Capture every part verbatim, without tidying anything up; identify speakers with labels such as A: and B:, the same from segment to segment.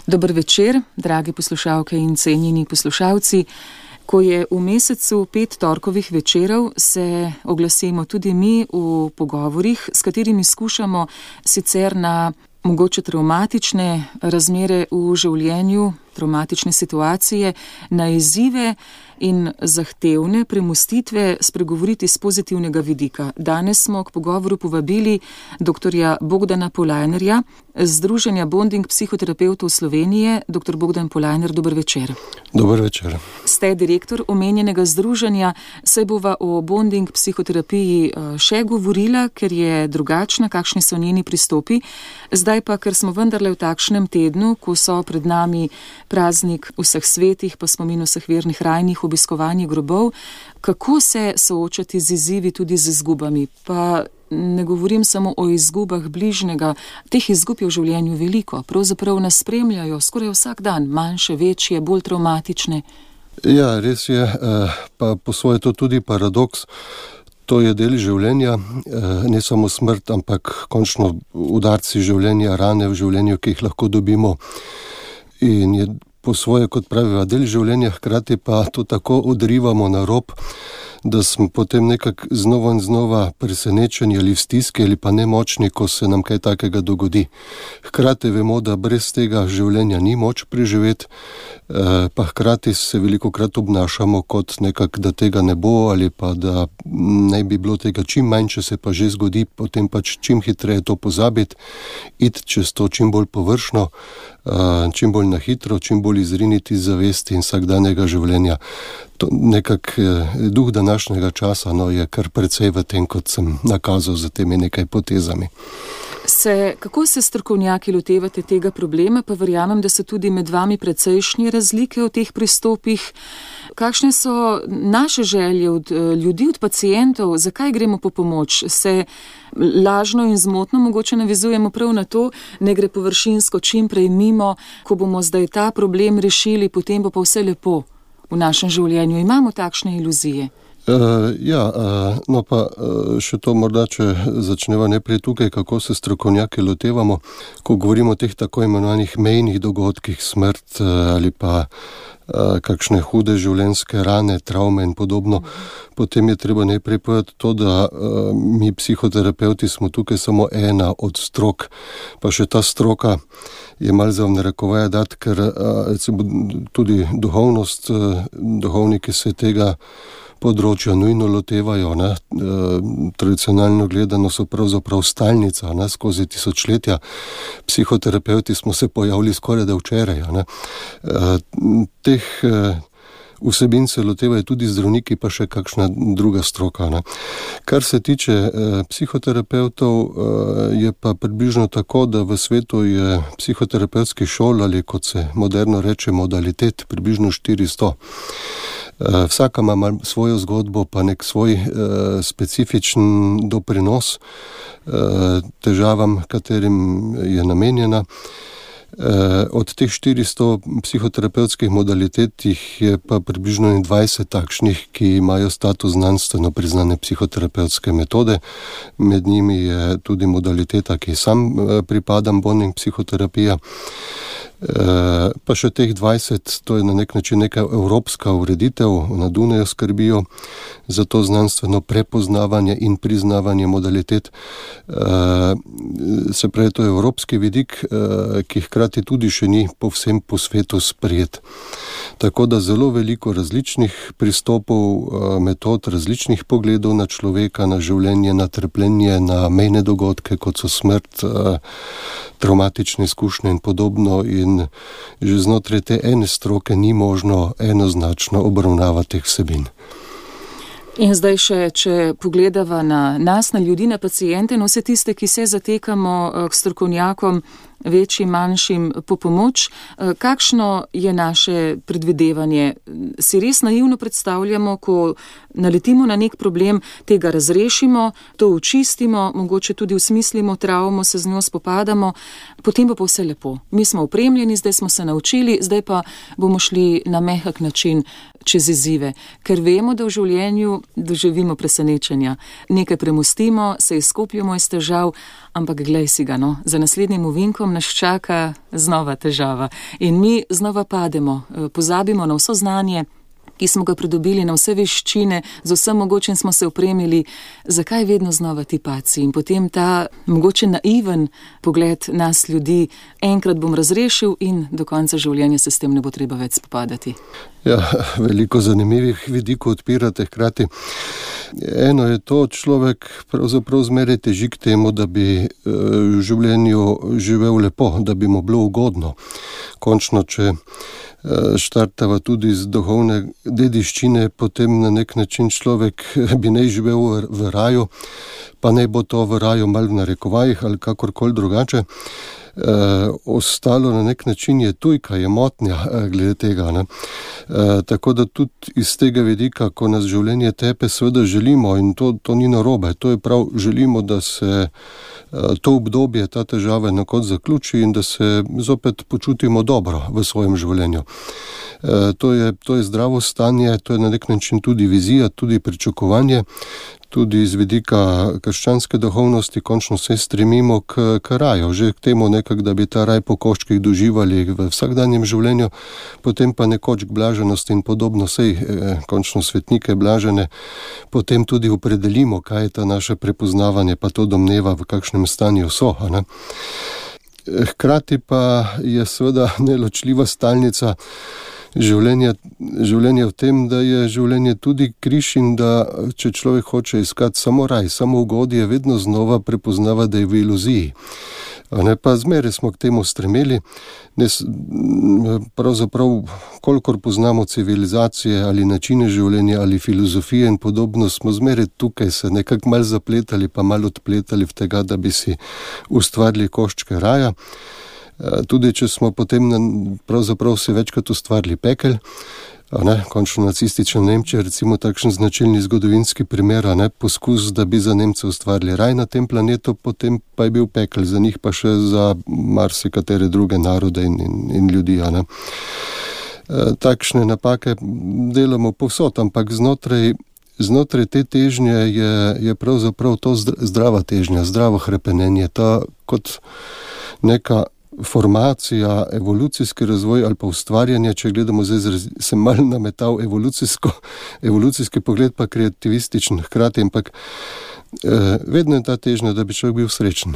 A: Dober večer, dragi poslušalke in cenjeni poslušalci. Ko je v mesecu pet torkovih večerov, se oglasimo tudi mi v pogovorih, s katerimi skušamo sicer na mogoče travmatične razmere v življenju, travmatične situacije, na izzive in zahtevne premostitve spregovoriti z pozitivnega vidika. Danes smo k pogovoru povabili doktorja Bogdana Polajnerja, Združenja Bonding psihoterapevtov Slovenije. Doktor Bogdan Polajner, dober večer.
B: Dober večer.
A: Ste direktor omenjenega združenja, saj bova o bonding psihoterapiji še govorila, ker je drugačna, kakšni so njeni pristopi. Zdaj pa, ker smo vendarle v takšnem tednu, ko so pred nami praznik vseh svetih, pa spomin vseh vernih rajnih, obiskovanje grobov, kako se soočati z izzivi, tudi z izgubami. Pa ne govorim samo o izgubah bližnjega, teh izgub je v življenju veliko, pravzaprav nas spremljajo skoraj vsak dan, manjše, večje, bolj travmatične.
B: Ja, res je, pa po svoje to tudi paradoks. To je del življenja, ne samo smrt, ampak končno udarci življenja, rane v življenju, ki jih lahko dobimo. In je po svoje, kot praviva, del življenja, hkrati pa to tako odrivamo na rob, da smo potem nekako znova in znova presenečeni ali v stiski ali pa nemočni, ko se nam kaj takega dogodi. Hkrati vemo, da brez tega življenja ni moč preživeti, pa hkrati se velikokrat obnašamo kot nekako, da tega ne bo ali pa da ne bi bilo tega čim manj, če se pa že zgodi, potem pač čim hitreje to pozabiti, iti čez to čim bolj površno, čim bolj na hitro, čim bolj izriniti iz zavesti in vsakdanjega življenja. To nekak duh današnjega časa no, je kar precej v tem, kot sem nakazal za temi nekaj potezami.
A: Se, kako se strokovnjaki lotevate tega problema, pa verjamem, da so tudi med vami precejšnje razlike v teh pristopih. Kakšne so naše želje od ljudi, od pacientov, zakaj gremo po pomoč? Se lažno in zmotno mogoče navezujemo prav na to, ne gre površinsko čim prej mimo, ko bomo zdaj ta problem rešili, potem bo pa vse lepo v našem življenju. Imamo takšne iluzije?
B: Uh, ja, uh, no pa uh, še to morda, če začneva najprej tukaj, kako se strokovnjaki lotevamo, ko govorimo o teh tako imenovanih mejnih dogodkih, smrt uh, ali pa uh, kakšne hude življenjske rane, travme in podobno, potem je treba najprej povedati to, da uh, mi psihoterapeuti smo tukaj samo ena od strok, pa še ta stroka je malo za v narekovaje dati, ker uh, tudi duhovnost, uh, duhovniki se tega področja nujno lotevajo, ne. E, tradicionalno gledano so pravzaprav stalnica, ne, skozi tisočletja. Psihoterapeuti smo se pojavili skoraj da včeraj, ne. E, teh e, vsebin se lotevajo tudi zdravniki, pa še kakšna druga stroka, ne. Kar se tiče e, psihoterapeutov, e, je pa približno tako, da v svetu je psihoterapevtski šol, ali kot se moderno reče modalitet, približno štiristo. Vsaka ima svojo zgodbo, pa nek svoj e, specifičen doprinos e, težavam, katerim je namenjena. E, od teh štiristo psihoterapevtskih modalitet je pa približno dvajset takšnih, ki imajo status znanstveno priznane psihoterapevtske metode. Med njimi je tudi modaliteta, ki sam e, pripadam, bonding psihoterapija. E, pa še teh dvajset, to je na nek način neka evropska ureditev, na Dunaju skrbijo za to znanstveno prepoznavanje in priznavanje modalitet. E, se pravi, to je evropski vidik, e, ki hkrati tudi še ni povsem po svetu sprejet. Tako da zelo veliko različnih pristopov, metod, različnih pogledov na človeka, na življenje, na trpljenje, na mejne dogodke, kot so smrt, traumatične izkušnje in podobno. In že znotraj te ene stroke ni možno enoznačno obravnavati teh vsebin.
A: In zdaj še, če pogledava na nas, na ljudi, na paciente, no vse tiste, ki se zatekamo k strokovnjakom, večjim, manjšim, po pomoč. Kakšno je naše predvidevanje? Si res naivno predstavljamo, ko naletimo na nek problem, tega razrešimo, to očistimo, mogoče tudi usmislimo travmo, se z njo spopadamo, potem bo pa vse lepo. Mi smo opremljeni, zdaj smo se naučili, zdaj pa bomo šli na mehak način čez izzive, ker vemo, da v življenju doživimo presenečenja. Nekaj premostimo, se izkopljamo iz težav, ampak glej si ga, no, za naslednjim ovinkom tempom nas čaka znova težava in mi znova pademo, pozabimo na vso znanje, ki smo ga pridobili, na vse veščine, z vsem mogočim smo se opremili, zakaj vedno znova ti paci? In potem ta mogoče naiven pogled nas ljudi, enkrat bom razrešil in do konca življenja se s tem ne bo treba več spopadati.
B: Ja, veliko zanimivih vidikov odpirate hkrati. Eno je to, človek pravzaprav zmeraj teži k temu, da bi v življenju živel lepo, da bi mu bilo ugodno. Končno, če štartava tudi z duhovne dediščine, potem na nek način človek bi naj živel v raju, pa naj bo to v raju malo v narekovajih ali kakorkoli drugače. E, ostalo na nek način je tujka, je motnja glede tega. Ne? E, tako da tudi iz tega vidika, ko nas življenje tepe, seveda želimo in to, to ni narobe, to je prav, želimo, da se to obdobje, ta težava na koncu zaključi in da se zopet počutimo dobro v svojem življenju. E, to je, to je zdravo stanje, to je na nek način tudi vizija, tudi pričakovanje, tudi iz vidika krščanske duhovnosti končno se stremimo k, k raju, že k temu nekak, da bi ta raj po koščkih doživali v vsakdanjem življenju, potem pa nekoč k blaženosti in podobno, sej eh, končno svetnike blažene, potem tudi opredelimo, kaj je ta naše prepoznavanje, pa to domneva, v kakšnem stanju so. Ne? Hkrati pa je seveda neločljiva stalnica Življenje, življenje v tem, da je življenje tudi križ in da če človek hoče iskati samo raj, samo ugodje, vedno znova prepoznava, da je v iluziji. Ne, pa zmeraj smo k temu stremeli. Ne, pravzaprav, kolikor poznamo civilizacije ali načine življenja ali filozofije in podobno, smo zmeraj tukaj se nekako malo zapletali pa malo odpletali v tega, da bi si ustvarili koščke raja. Tudi če smo potem pravzaprav se večkrat ustvarili pekel, ne, končno nacistična Nemčija, recimo takšen značilni zgodovinski primer, ne, poskus, da bi za Nemce ustvarili raj na tem planetu, potem pa je bil pekel, za njih pa še za marsikatere druge narode in, in, in ljudi. Ne. Takšne napake delamo povsod, ampak znotraj, znotraj te težnje je, je pravzaprav to zdrava težnja, zdravo hrepenenje, ta kot neka formacija, evolucijski razvoj ali pa ustvarjanje, če gledamo zdaj, sem malo nametal evolucijsko, evolucijski pogled pa kreativističen hkrati, ampak eh, vedno je ta težnja, da bi človek bil srečen.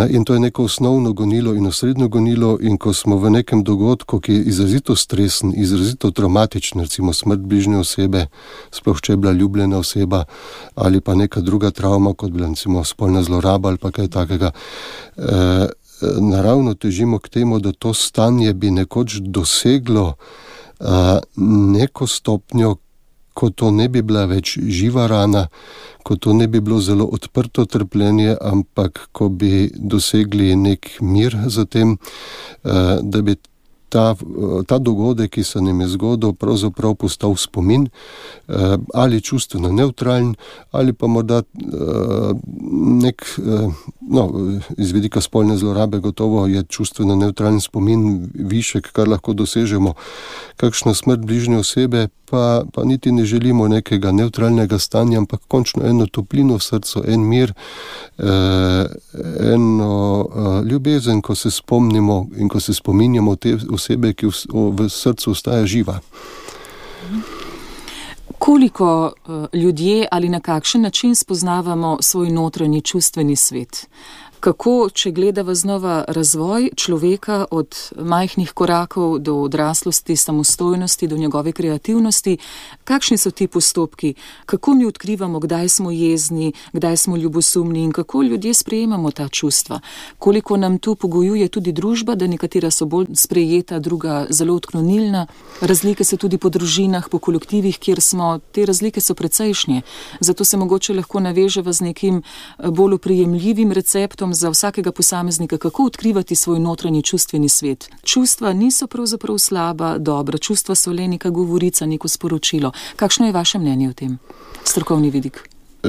B: In to je neko osnovno gonilo in osrednjo gonilo in ko smo v nekem dogodku, ki je izrazito stresen, izrazito traumatičen, recimo smrt bližnje osebe, sploh če je bila ljubljena oseba ali pa neka druga travma, kot bila recimo spolna zloraba ali pa kaj takega, eh, naravno težimo k temu, da to stanje bi nekoč doseglo a, neko stopnjo, ko to ne bi bila več živa rana, ko to ne bi bilo zelo odprto trpljenje, ampak ko bi dosegli nek mir za tem, a, da bi ta, ta dogodek, ki se nam je zgodil, pravzaprav postal spomin, eh, ali čustveno neutralen, ali pa morda eh, nek, eh, no, iz vidika spolne zlorabe gotovo je čustveno neutralen spomin višek, kar lahko dosežemo. Kakšna smrt bližnje osebe, pa, pa niti ne želimo nekega neutralnega stanja, ampak končno eno toplino v srcu, en mir, eh, eno eh, ljubezen, ko se spomnimo in ko se spominjamo te osebe, ki v, v srcu ostaja živa.
A: Koliko uh, ljudje ali na kakšen način spoznavamo svoj notranji čustveni svet? Kako, če gledava znova razvoj človeka od majhnih korakov do odraslosti, samostojnosti, do njegove kreativnosti, kakšni so ti postopki? Kako mi odkrivamo, kdaj smo jezni, kdaj smo ljubosumni in kako ljudje sprejemamo ta čustva? Koliko nam tu pogojuje tudi družba, da nekatera so bolj sprejeta, druga zelo odklonilna? Razlike so tudi po družinah, po kolektivih, kjer smo, te razlike so precejšnje. Zato se mogoče lahko naveževa z nekim bolj oprijemljivim receptom za vsakega posameznika, kako odkrivati svoj notranji čustveni svet. Čustva niso pravzaprav slaba, dobra, čustva so le neka govorica, neko sporočilo. Kakšno je vaše mnenje o tem? Strokovni vidik.
B: E,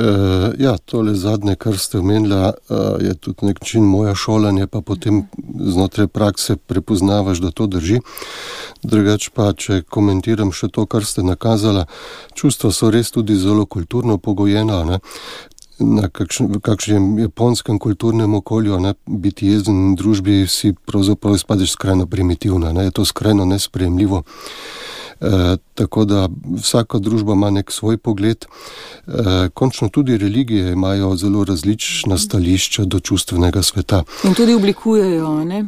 B: ja, tole zadnje, kar ste omenila, je tudi nek način moja šolanje, pa potem znotraj prakse prepoznavaš, da to drži. Drugač pa, če komentiram še to, kar ste nakazala, čustva so res tudi zelo kulturno pogojena, ne? na kakšen, v kakšnem japonskem kulturnem okolju, ne, biti jezen v družbi si pravzaprav izpadeš skrajno primitivna, ne, je to skrajno nesprejemljivo. E, tako da vsaka družba ima nek svoj pogled. E, končno tudi religije imajo zelo različna stališča do čustvenega sveta.
A: In tudi oblikujejo, ne?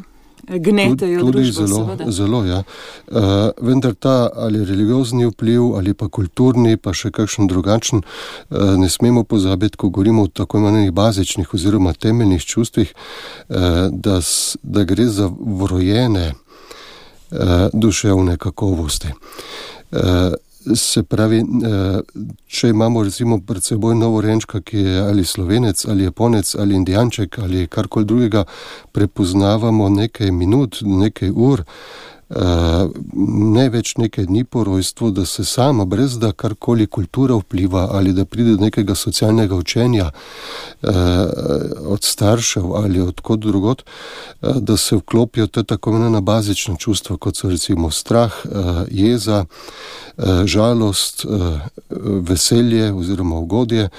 A: Gnetejo
B: tudi
A: družbo,
B: zelo,
A: seveda.
B: zelo, ja. E, vendar ta ali religiozni vpliv ali pa kulturni, pa še kakšen drugačen, e, ne smemo pozabiti, ko govorimo o tako imenovanih bazičnih oziroma temeljnih čustvih, e, da, da gre za vrojene e, duševne kakovosti. E, Se pravi, če imamo recimo pred seboj novorenčka, ki je ali Slovenec, ali Japonec, ali Indijanček, ali karkoli drugega, prepoznavamo nekaj minut, nekaj ur, ne več nekaj dni po rojstvu, da se sama, brez da karkoli kultura vpliva ali da pride do nekega socialnega učenja od staršev ali od kod drugot, da se vklopijo te tako imenovana bazična čustva, kot so recimo strah, jeza, žalost, veselje oziroma ugodje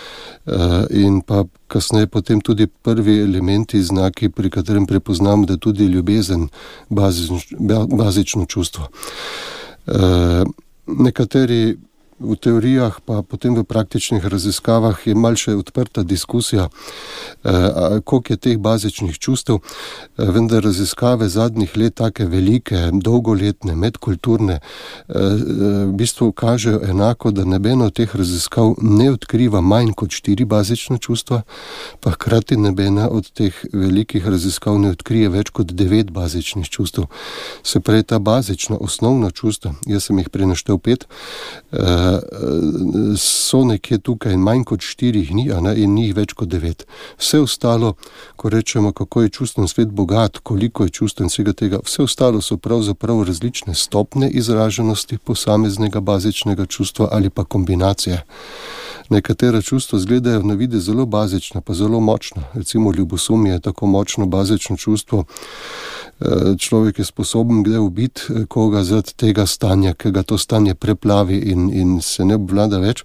B: in pa kasneje potem tudi prvi elementi, znaki, pri katerem prepoznam, da tudi ljubezen bazično, bazično čustvo. Nekateri v teorijah, pa potem v praktičnih raziskavah je malce odprta diskusija, koliko je teh bazičnih čustev, vendar raziskave zadnjih let, take velike, dolgoletne, medkulturne, v bistvu kažejo enako, da nobeno od teh raziskav ne odkriva manj kot štiri bazična čustva, pa hkrati nobena od teh velikih raziskav ne odkrije več kot devet bazičnih čustev. Se pravi, ta bazična, osnovna čustva, jaz sem jih prenaštel pet, so nekje tukaj in manj kot štirih ni, a ne, in njih več kot devet. Vse ostalo, ko rečemo, kako je čustven svet bogat, koliko je čustven vsega tega, vse ostalo so pravzaprav različne stopne izraženosti posameznega bazičnega čustva ali pa kombinacije. Nekatera čustva izgledajo na videz zelo bazična, pa zelo močna. Recimo ljubosumje je tako močno bazično čustvo. Človek je sposoben kdaj ubiti koga zaradi tega stanja, ki ga to stanje preplavi in, in se ne obvlada več.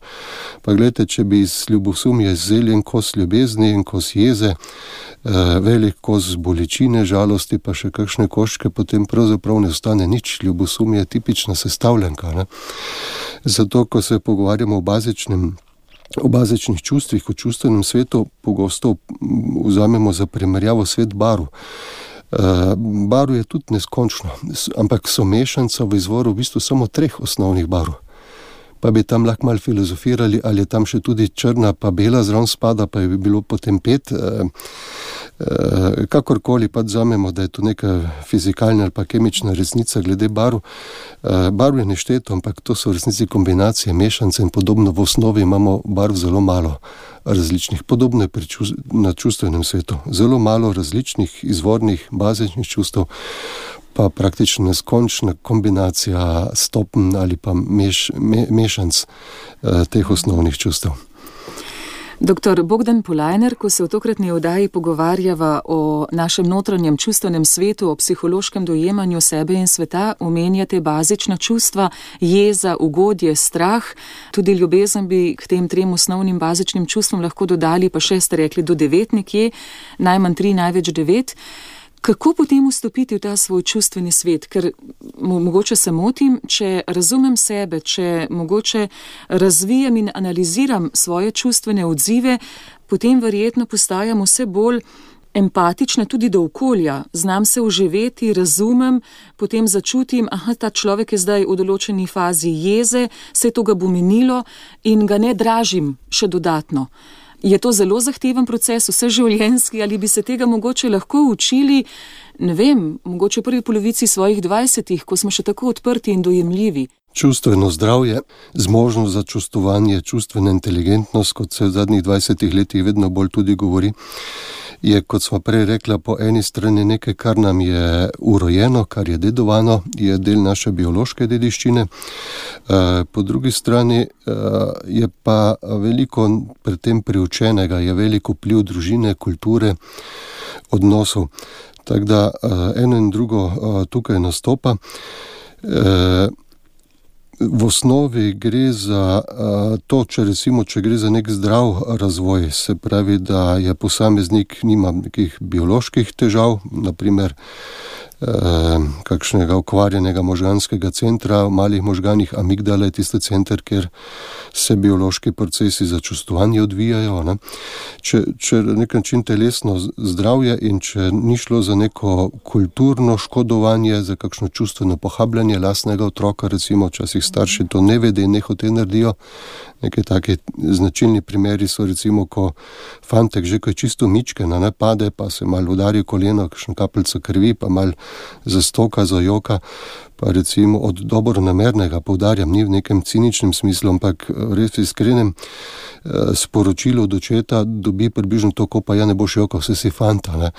B: Pa gledajte, če bi iz ljubosumja izzeli en kos ljubezni, en kos jeze, velik kos bolečine, žalosti, pa še kakšne koščke, potem pravzaprav ne ostane nič. Ljubosumje je tipična sestavljanka, ne? Zato, ko se pogovarjamo o bazičnem O bazičnih čustvih, o čustvenem svetu, pogosto vzamemo za primerjavo svet barv. Barv je tudi neskončno, ampak so mešanca v izvoru v bistvu samo treh osnovnih barv. Pa bi tam lahko malo filozofirali, ali je tam še tudi črna pa bela zraven spada, pa bi bilo potem pet. Kakorkoli pa vzamemo, da je to neka fizikalna ali pa kemična resnica glede barv. Barv je nešteto, ampak to so v resnici kombinacije mešance in podobno. V osnovi imamo barv zelo malo različnih. Podobno je pri čust- na čustvenem svetu. Zelo malo različnih izvornih, bazičnih čustev, pa praktično neskončna kombinacija stopenj ali pa meš, me, mešanc eh, teh osnovnih čustev.
A: Doktor Bogdan Polajner, ko se v tokratni oddaji pogovarjava o našem notranjem čustvenem svetu, o psihološkem dojemanju sebe in sveta, omenjate bazična čustva, jeza, ugodje, strah, tudi ljubezen bi k tem trem osnovnim bazičnim čustvom lahko dodali, pa še ste rekli do devet nekje, najmanj tri, največ devet. Kako potem vstopiti v ta svoj čustveni svet? Ker mogoče se motim, če razumem sebe, če mogoče razvijam in analiziram svoje čustvene odzive, potem verjetno postajam vse bolj empatična tudi do okolja. Znam se vživeti, razumem, potem začutim, aha, ta človek je zdaj v določeni fazi jeze, se to ga bo minilo in ga ne dražim še dodatno. Je to zelo zahteven proces, vseživljenjski, ali bi se tega mogoče lahko učili, ne vem, mogoče v prvi polovici svojih dvajsetih, ko smo še tako odprti in dojemljivi?
B: Čustveno zdravje, zmožnost za čustvovanje, čustvena inteligentnost, kot se v zadnjih dvajsetih letih vedno bolj tudi govori, je, kot smo prej rekla, po eni strani nekaj, kar nam je urojeno, kar je dedovano, je del naše biološke dediščine. Po drugi strani je pa veliko pri tem priučenega, je veliko vpliv družine, kulture, odnosov. Tako da eno in drugo tukaj nastopa. v osnovi gre za uh, to, če recimo, če gre za nek zdrav razvoj, se pravi, da je posameznik nima nekih bioloških težav, naprimer uh, kakšnega okvarjenega možganskega centra, v malih možganih amigdala je tisti center, kjer se biološki procesi za čustvovanje odvijajo. Ne? Če, če nek način telesno zdravje in če ni šlo za neko kulturno škodovanje, za kakšno čustveno pohabljanje lastnega otroka, recimo včasih starši to ne vede in ne hote naredijo. Nekaj taki značilni primeri so recimo, ko fantek že ko je čisto mičken, ne pade, pa se malo udari koleno, kakšno kapljico krvi, pa malo zastoka, zajoka, pa recimo od dobronamernega, poudarjam, ni v nekem ciničnem smislu, ampak res iskrenem sporočilo od očeta dobi približno to, ko pa ja ne boš jokal, vse si fanta. Ne.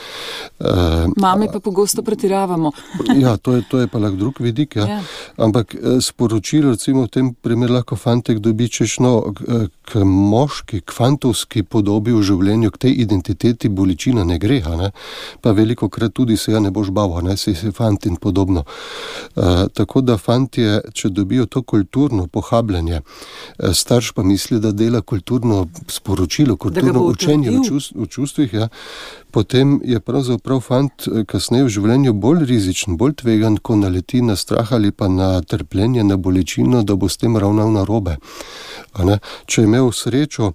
A: Mame pa pogosto pretiravamo.
B: Ja, to je, to je pa lahko drug vidik, ja. Ja. Ampak sporočilo recimo v tem primeru lahko fantek dobi, češ no, k moški, k fantovski podobi v življenju, k tej identiteti bolečina ne gre, ne. Pa veliko krat tudi se ja ne boš bavo, ne, si si fant in podobno. Uh, tako da fantje, če dobijo to kulturno pohabljanje, starš pa misli, da dela kulturno sporočilo, kulturno učenje v, čust, v čustvih, ja, potem je pravzaprav fant kasneje v življenju bolj rizičen, bolj tvegan, ko naleti na strah ali pa na trpljenje, na bolečino, da bo s tem ravnal narobe. Če je imel srečo,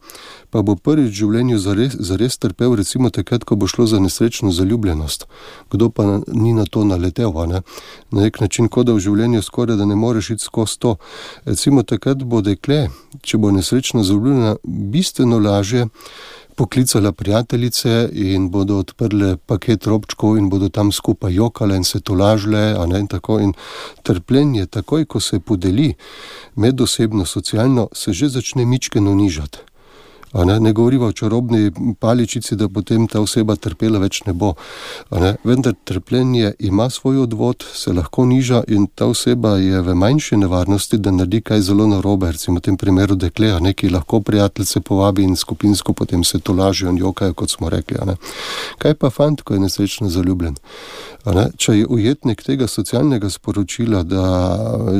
B: pa bo prvič v življenju zares, zares trpel, recimo takrat, ko bo šlo za nesrečno zaljubljenost. Kdo pa na, ni na to naletel, ne? Na nek način, kot da v življenju skoraj da ne moreš iti skozi to. Recimo takrat bo dekle, če bo nesrečno zaljubljena, bistveno lažje poklicala prijateljice in bodo odprle paket robčkov in bodo tam skupaj jokale in se tolažile, a ne, in tako. In trpljenje, takoj, ko se podeli medosebno, socialno, se že začne mičkeno nižati. A ne, ne govoriva o čarobni paličici, da potem ta oseba trpela več ne bo. A ne, vendar trpljenje ima svoj odvod, se lahko niža in ta oseba je v manjši nevarnosti, da naredi kaj zelo narobe, recimo v tem primeru dekle, a ne, ki lahko prijateljice povabi in skupinsko potem se tolažijo in jokajo, kot smo rekli. A ne. Kaj pa fant, ko je nesrečno zaljubljen? A ne, če je ujetnik tega socialnega sporočila, da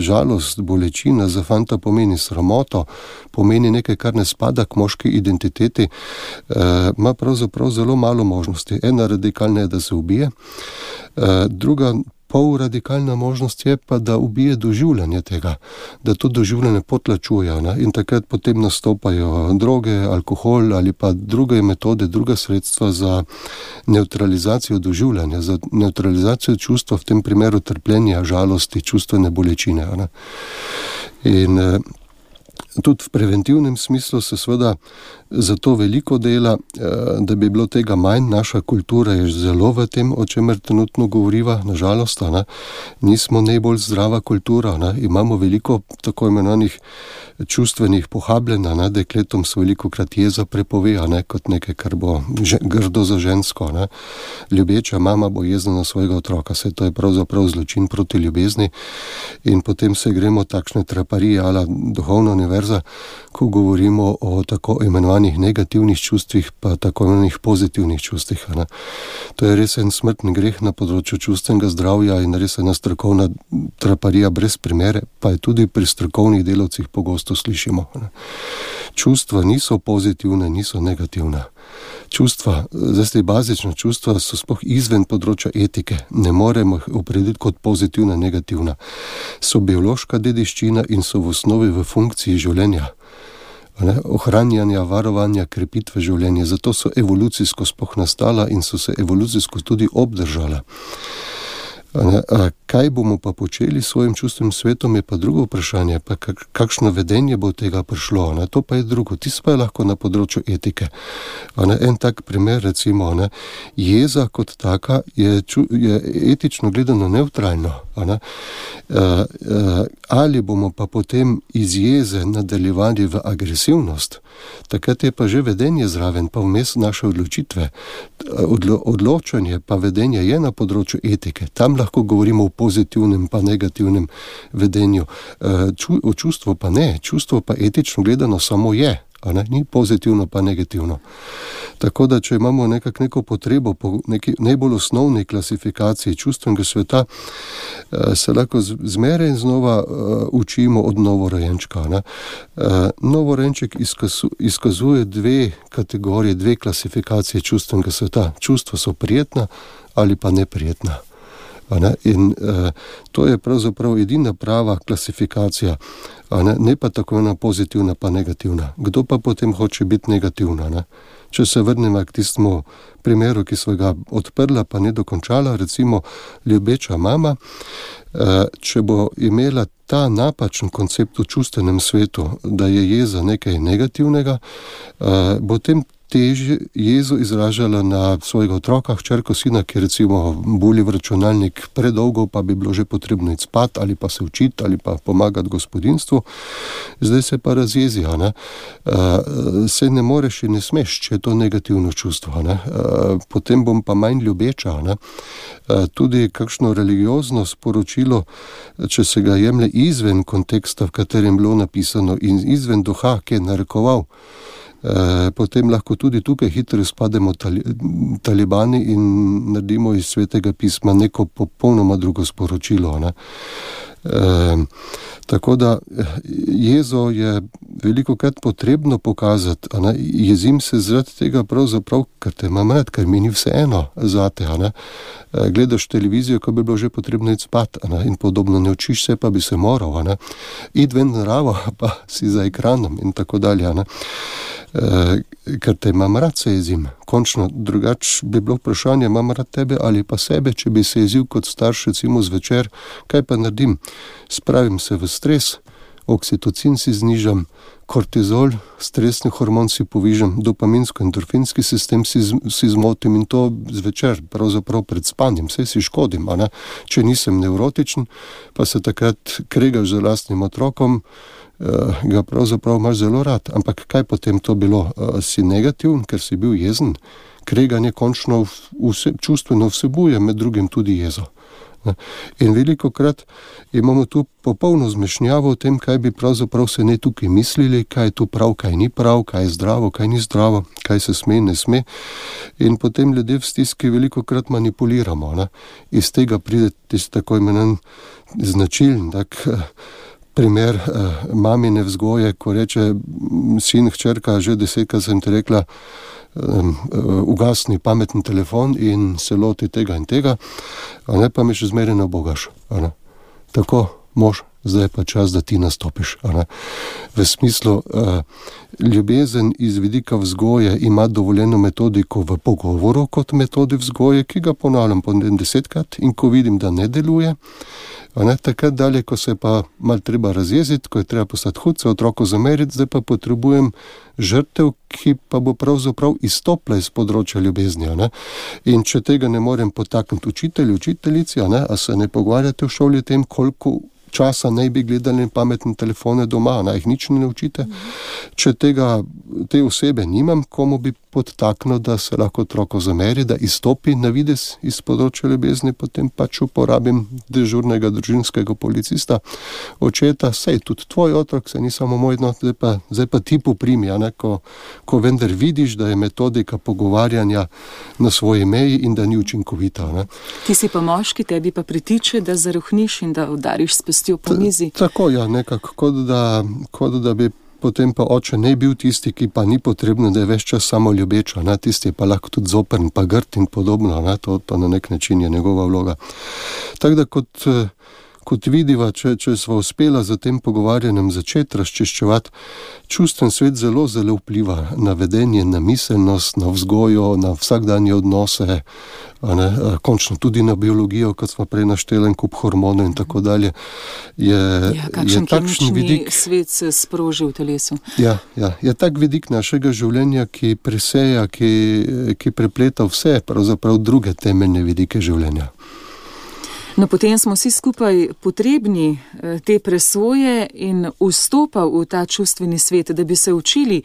B: žalost, bolečina za fanta pomeni sramoto, pomeni nekaj, kar ne spada k moški identiteti, eh, ima pravzaprav zelo malo možnosti. Ena radikalna je, da se ubije, eh, druga pol radikalna možnost je pa, da ubije doživljanje tega, da to doživljanje potlačuje, ne? In takrat potem nastopajo droge, alkohol ali pa druge metode, druga sredstva za neutralizacijo doživljanja, za neutralizacijo čustva, v tem primeru trpljenja, žalosti, čustvene bolečine. Ne? In eh, tudi v preventivnem smislu se seveda zato veliko dela, da bi bilo tega manj. Naša kultura je zelo v tem, o čemer trenutno govoriva, nažalost, ne? Nismo najbolj zdrava kultura, ne? Imamo veliko tako imenovanih čustvenih pohabljenj, ne? Dekletom se veliko krat jeza prepove, ne? Kot nekaj, kar bo že, grdo za žensko. Ne? Ljubeča mama bo jezna na svojega otroka, se to je pravzaprav zločin proti ljubezni in potem se gremo takšne traparije ala duhovna univerza, ko govorimo o tako imenovanih negativnih čustvih, pa tako imenovanih pozitivnih čustvih. Ne. To je res en smrtni greh na področju čustvenega zdravja in res ena strokovna traparija brez primere, pa je tudi pri strokovnih delavcih pogosto slišimo. Ne. Čustva niso pozitivne, niso negativne. Čustva, zdaj bazična čustva so sploh izven področja etike, ne moremo jih opredeliti kot pozitivna, negativna. So biološka dediščina in so v osnovi v funkciji življenja. Ne, ohranjanja, varovanja, krepitve življenja. Zato so evolucijsko sploh nastala in so se evolucijsko tudi obdržala. Ne, kaj bomo pa počeli s svojim čustvenim svetom, je pa drugo vprašanje, pa kakšno vedenje bo tega prišlo, ne, to pa je drugo, tisto pa je lahko na področju etike. Ne, en tak primer, recimo, ne, jeza kot taka je, je etično gledano neutralno. Ne, ali bomo pa potem iz jeze nadaljevali v agresivnost, takrat je pa že vedenje zraven, pa vmes naše odločitve. Odlo, odločanje pa vedenje je na področju etike, tam lahko govorimo o pozitivnem pa negativnem vedenju. Ču, o čustvu pa ne, čustvo pa etično gledano samo je. a ne? Ni pozitivno pa negativno. Tako da, če imamo nekak neko potrebo po neki najbolj osnovni klasifikaciji čustvenega sveta, se lahko zmeraj in znova učimo od novorojenčka. Ne? Novorojenček izkazu, izkazuje dve kategorije, dve klasifikacije čustvenega sveta. Čustva so prijetna ali pa neprijetna. Ne? In uh, to je pravzaprav edina prava klasifikacija, ne? Ne pa tako ena pozitivna pa negativna. Kdo pa potem hoče biti negativna? Ne? Če se vrnemo k tistemu primeru, ki smo ga odprla, pa ne dokončala, recimo ljubeča mama, uh, če bo imela ta napačen koncept v čustvenem svetu, da je jeza nekaj negativnega, uh, bo tem težje jezo izražala na svojega otroka, hčerko, sina, ki recimo buli v računalnik predolgo, pa bi bilo že potrebno iti spat ali pa se učiti ali pa pomagati gospodinstvu. Zdaj se pa razjezi, ne? Uh, se ne moreš in ne smeš, če je to negativno čustvo. Ne? Uh, potem bom pa manj ljubeča. Ne? Uh, tudi kakšno religiozno sporočilo, če se ga jemlje izven konteksta, v katerem je bilo napisano, in izven duha, ki je narekoval, E, potem lahko tudi tukaj hitro spademo tali, talibani in naredimo iz svetega pisma neko popolnoma drugo sporočilo. Ne? E, tako da jezo je velikokrat potrebno pokazati. Ne? Jezim se zaradi tega pravzaprav, ker te imam rad, ker mi ni vseeno zate. Ne? E, gledaš televizijo, ko bi bilo že potrebno iti spat, ne? In podobno, ne učiš se, pa bi se moral. Ne? Id ven naravo, pa si za ekranom in tako dalje. Ne? Uh, ker te imam rad, se jezim. Končno, drugače bi bilo vprašanje, imam rad tebe ali pa sebe, če bi se jezil kot starš, recimo zvečer, kaj pa naredim? Spravim se v stres, oksitocin si znižam, kortizol, stresni hormon si povižam, dopaminsko-endorfinski sistem si, si zmotim in to zvečer, pravzaprav pred spanjem, vse si škodim, a ne? Če nisem nevrotičen, pa se takrat kregaš z lastnim otrokom, ga pravzaprav imaš zelo rad. Ampak kaj potem to bilo? Si negativen, ker si bil jezen? Kreganje končno vse, čustveno vsebuje med drugim tudi jezo. In velikokrat imamo tu popolno zmešnjavo o tem, kaj bi pravzaprav se ne tukaj mislili, kaj je tu prav, kaj ni prav, kaj je zdravo, kaj ni zdravo, kaj se sme in ne sme. In potem ljudje v stiski velikokrat manipuliramo. Ne? Iz tega pride tisti tako imenovan značilen, tak primer eh, mamine vzgoje, ko reče sin, hčerka, že desetkrat sem te rekla, um, ugasni pameten telefon in se loti tega in tega, a ne, pa me še zmeraj ne obogaš. Tako, mož, zdaj pa čas, da ti nastopiš. A ne. V smislu, uh, ljubezen iz vidika vzgoje ima dovoljeno metodiko v pogovoru kot metodi vzgoje, ki ga ponavljam po desetkrat, in ko vidim, da ne deluje, a ne, takrat dalje, ko se pa malo treba razjeziti, ko je treba postati hud, se otroku zameriti, zdaj pa potrebujem žrtev, ki pa bo pravzaprav izstopla iz področja ljubezni. A ne. In če tega ne morem potakniti učitelju, učiteljici, a ne, a se ne pogovarjate v šoli o tem, koliko časa naj bi gledali pametne telefone doma, naj jih nič ne naučite. Če tega, te osebe nimam, komu bi podtaknil, da se lahko otroko zameri, da izstopi na vides iz področja ljubezni, potem pač uporabim dežurnega družinskega policista, očeta, sej tudi tvoj otrok, se ni samo moj, no, zdaj pa, zdaj pa ti poprimi, a ne, ko, ko vendar vidiš, da je metodika pogovarjanja na svoji meji in da ni učinkovita. Ne.
A: Ti si pa moški, tebi pa pritiče, da zarohniš in da udariš s pestjo po mizi.
B: Ta, tako, ja, nekako, kot da, kot da bi potem pa oče ne bil tisti, ki pa ni potrebno, da je ves čas samo ljubeča, ne? Tisti je pa lahko tudi zoprn, pa grd in podobno, ne? To, to na nek način je njegova vloga. Tako da kot, kot vidiva, če, če sva uspela za tem pogovarjanjem začeti razčiščevati, čustven svet zelo, zelo vpliva na vedenje, na miselnost, na vzgojo, na vsakdanje odnose, a ne, končno tudi na biologijo, kot smo prej našteli, en kup hormonov in tako dalje. Je,
A: ja, kakšen kemični vidik, svet se sproži v telesu.
B: Ja, ja, je tak vidik našega življenja, ki preseja, ki, ki prepleta vse, pravzaprav druge temeljne vidike življenja.
A: No, potem smo vsi skupaj potrebni te presoje in vstopa v ta čustveni svet, da bi se učili,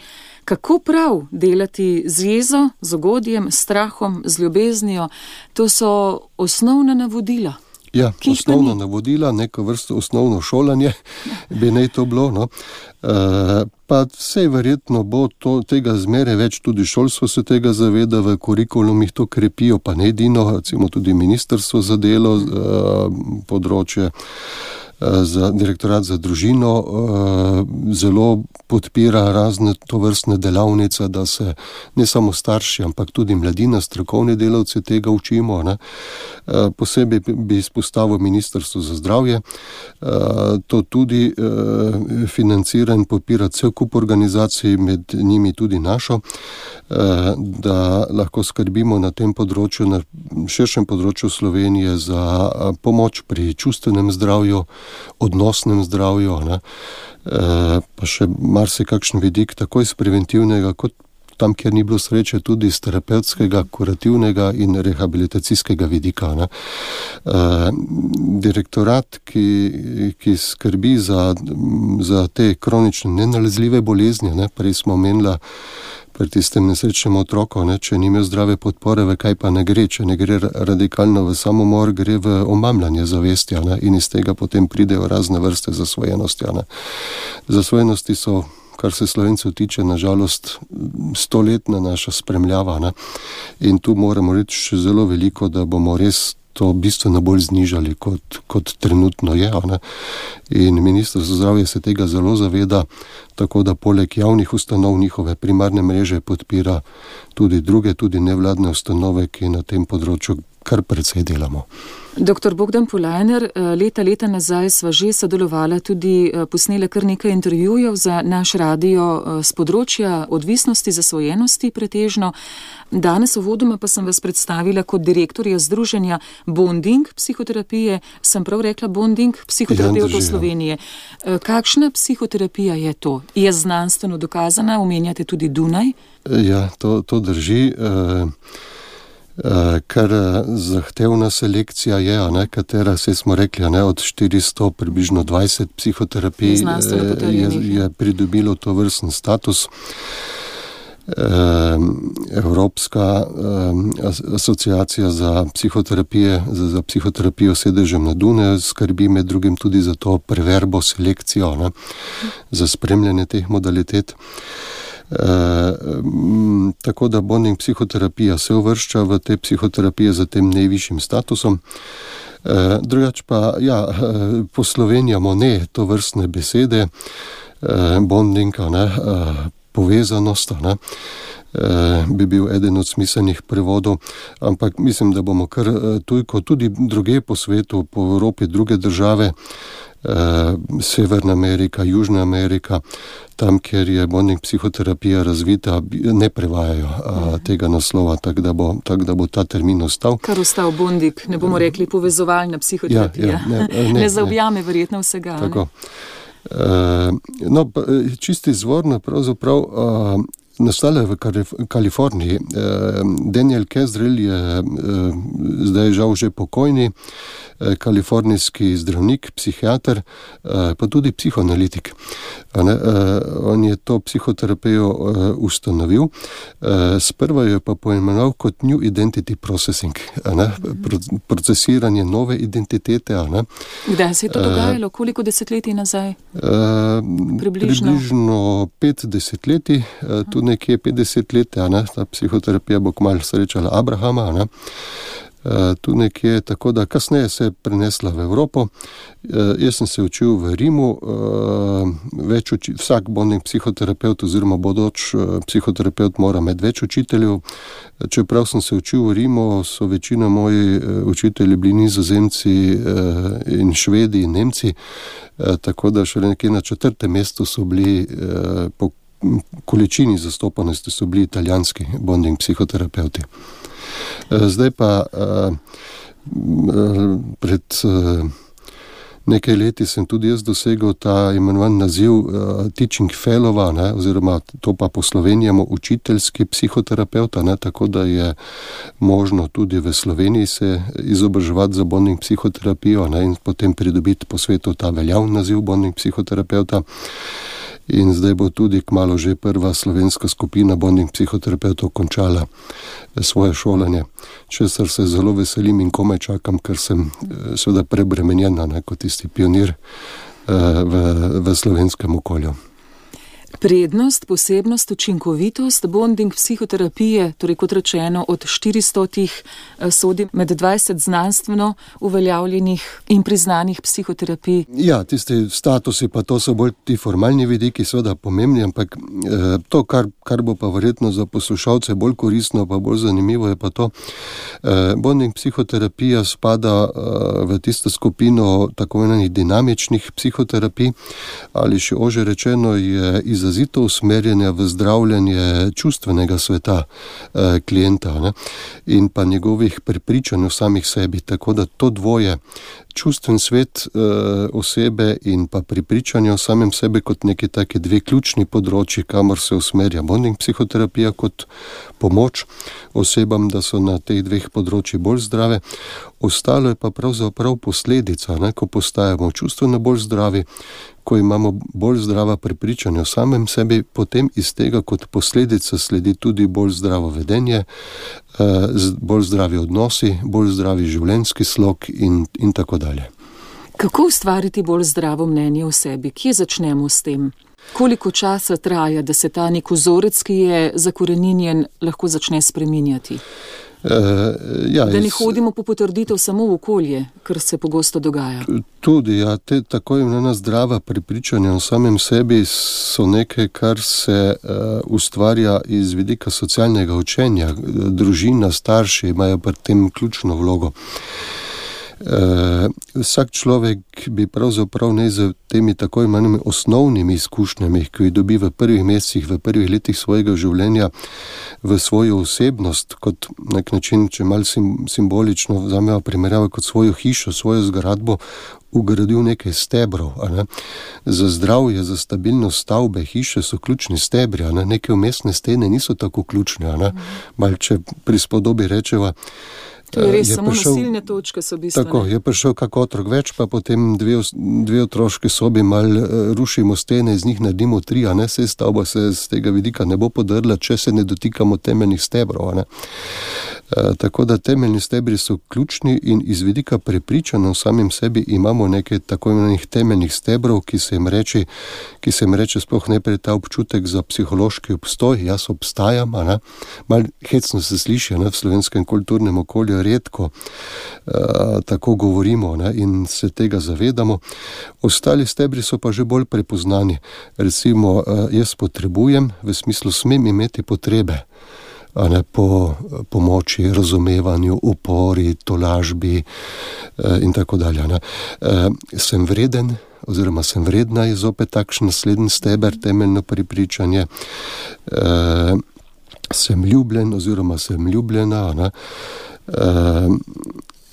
A: kako prav delati z jezo, z ugodjem, strahom, z ljubeznijo. To so osnovna navodila.
B: Ja, osnovno navodila, neko vrsto osnovno šolanje bi naj to bilo, no. Uh, pa vsej verjetno bo to, tega zmeraj več, tudi šolstvo se tega zaveda, v kurikulumih to krepijo, pa ne edino, recimo tudi ministrstvo za delo, uh, področje za direktorat za družino zelo podpira razne tovrstne delavnice, da se ne samo starši, ampak tudi mladina, strokovni delavci tega učimo, ne. Posebej bi izpostavil Ministrstvo za zdravje, to tudi financira in podpira cel kup organizacij, med njimi tudi našo, da lahko skrbimo na tem področju, na širšem področju Slovenije za pomoč pri čustvenem zdravju, odnosnem zdravju, ne, e, pa še marsikakšen vidik, tako iz preventivnega, kot tam, kjer ni bilo sreče, tudi iz terapevtskega, kurativnega in rehabilitacijskega vidika, ne. E, direktorat, ki, ki skrbi za, za te kronične nenalezljive bolezni, ne, prej smo omenila pri tistem nesrečnem otroku, ne, če ni imel zdrave podpore, v kaj pa ne gre, če ne gre radikalno v samomor, gre v omamljanje zavesti, ne, in iz tega potem pridejo razne vrste zasvojenosti, ne. Zasvojenosti so, kar se Slovencev tiče, nažalost stoletna naša spremljava, ne, in tu moramo reči še zelo veliko, da bomo res to bistveno bolj znižali, kot, kot trenutno je, ne. In Ministrstvo za zdravje se tega zelo zaveda, tako da poleg javnih ustanov njihove primarne mreže podpira tudi druge, tudi nevladne ustanove, ki na tem področju kar precej delamo.
A: Doktor Bogdan Polajner, leta, leta nazaj sva že sodelovala, tudi posnela kar nekaj intervjujev za naš radio z področja odvisnosti, zasvojenosti pretežno. Danes uvodoma pa sem vas predstavila kot direktorja združenja Bonding psihoterapije. Sem prav rekla Bonding psihoterapevtov Slovenije. Kakšna psihoterapija je to? Je znanstveno dokazana? Omenjate tudi Dunaj?
B: Ja, to, to drži. Uh... Kar zahtevna selekcija je, ne, katera, se smo rekli, ne, od štiristo približno dvajset psihoterapij je, je pridobilo to vrsten status. Evropska asociacija za psihoterapije, za, za psihoterapijo sedežem na Dunaju skrbi med drugim tudi za to preverbo selekcijo, ne, za spremljanje teh modalitet. E, m, tako da bonding psihoterapija se uvršča v te psihoterapije za tem najvišjim statusom. E, drugač pa, ja, poslovenjamo ne to vrstne besede, e, bonding, ne, e, povezanost, ne, e, bi bil eden od smiselnih prevodov, ampak mislim, da bomo kar tujko tudi druge po svetu, po Evropi, druge države, Severna Amerika, Južna Amerika, tam, kjer je bonding psihoterapija razvita, ne prevajajo a, tega naslova, tako da, tak, da bo ta termin ostal.
A: Kar ostal bonding, ne bomo rekli povezovalna psihoterapija. Ja, ja, ne, ne, ne zaobjame verjetno vsega.
B: Tako. E, no, čisti izvorno pravzaprav a, nastala je v Kaliforniji. Daniel Kezrel je zdaj žal že pokojni, kalifornijski zdravnik, psihiater, pa tudi psihoanalitik. On je to psihoterapijo ustanovil. Sprva jo pa poimenoval kot New Identity Processing, procesiranje nove identitete.
A: Kdaj se je to dogajalo? Koliko desetletij nazaj? Približno?
B: Približno pet desetletij, tu nekje petdeset let, ne? Ta psihoterapija bo kmalu srečala Abrahama, ne? Tu nekje, tako da kasneje se je prenesla v Evropo. Jaz sem se učil v Rimu, več uči, vsak bonding psihoterapeut oziroma bodoč psihoterapeut mora imeti več učiteljev. Čeprav sem se učil v Rimu, so večina moji učitelji bili Nizozemci in Švedi in Nemci, tako da še nekje na četrtem mestu so bili po količini zastopanosti so bili italijanski bonding psihoterapeuti. Zdaj pa pred nekaj leti sem tudi jaz dosegel ta imenovan naziv teaching fellowa, ne, oziroma to pa poslovenjamo učiteljski psihoterapeuta, ne, tako da je možno tudi v Sloveniji se izobraževati za bonding psihoterapijo, ne, in potem pridobiti po svetu ta veljavni naziv bonding psihoterapeuta. In zdaj bo tudi kmalu že prva slovenska skupina bonding psihoterapeutov končala svoje šolanje, česar se zelo veselim in komaj čakam, ker sem seveda prebremenjena, ne, kot tisti pionir v, v slovenskem okolju.
A: Prednost, posebnost, učinkovitost bonding psihoterapije, torej kot rečeno od štiristotih sodi med dvajset znanstveno uveljavljenih in priznanih psihoterapij.
B: Ja, tisti statusi pa to so bolj ti formalni vidiki, seveda pomembni, ampak eh, to, kar, kar bo pa verjetno za poslušalce bolj koristno, pa bolj zanimivo je pa to. Eh, bonding psihoterapija spada eh, v tisto skupino tako imenovanih dinamičnih psihoterapij, ali še ože rečeno je izrazito usmerjanja v zdravljenje čustvenega sveta eh, klienta, ne, in pa njegovih prepričanj o samih sebi, tako da to dvoje, čustven svet e, osebe in pa prepričanje o samem sebi kot neki taki dve ključni področji, kamor se usmerja bonding psihoterapija kot pomoč osebam, da so na teh dveh področjih bolj zdrave. Ostalo je pa pravzaprav posledica, ne, ko postajamo čustveno bolj zdravi, ko imamo bolj zdrava prepričanja o samem sebi, potem iz tega kot posledica sledi tudi bolj zdravo vedenje, bolj zdravi odnosi, bolj zdravi življenjski slog in, in tako dalje.
A: Kako ustvariti bolj zdravo mnenje o sebi? Kje začnemo s tem? Koliko časa traja, da se ta nek vzorec, ki je zakoreninjen, lahko začne spreminjati?
B: Uh, ja,
A: da ne hodimo po potrditev samo v okolje, kar se pogosto dogaja.
B: Tudi, ja, te tako imenovana zdrava prepričanja o samem sebi so nekaj, kar se uh, ustvarja iz vidika socialnega učenja. Družina, starši imajo pri tem ključno vlogo. Uh, vsak človek bi pravzaprav ne z temi tako imenovanimi osnovnimi izkušnjami, ki jih dobi v prvih mesecih, v prvih letih svojega življenja, v svojo osebnost, kot nek način, če malo sim, simbolično vzamemo primerjavo, kot svojo hišo, svojo zgradbo, ugradil nekaj stebrov. A ne? Za zdravje, za stabilnost stavbe, hiše so ključni stebri, a ne? Neke umestne stene niso tako ključne. A ne? Mal, če pri spodobi rečeva,
A: to je res, je samo prišel, nosilne točke so bistvene.
B: Tako, je prišel kak otrok več, pa potem dve, dve otroške sobi mal rušimo stene, iz njih naredimo tri, a ne, se stavba se z tega vidika ne bo podrla, če se ne dotikamo temeljnih stebrov, a ne. E, tako da temeljni stebri so ključni in iz vidika prepričanja o samem sebi imamo nekaj tako imenovanih temeljnih stebrov, ki se jim reče, ki se jim reče sploh najprej ta občutek za psihološki obstoj, jaz obstajam, a ne. Mal hecno se sliši, ne, v slovenskem kulturnem okolju redko uh, tako govorimo, ne, in se tega zavedamo. Ostali stebri so pa že bolj prepoznani. Recimo, uh, jaz potrebujem, v smislu smem imeti potrebe, a ne, po pomoči, razumevanju, upori, tolažbi uh, in tako dalje. Ne. Uh, sem vreden, oziroma sem vredna, je zopet takšen naslednji steber, temeljno prepričanje. Uh, sem ljubljen, oziroma sem ljubljena, a ne. Uh,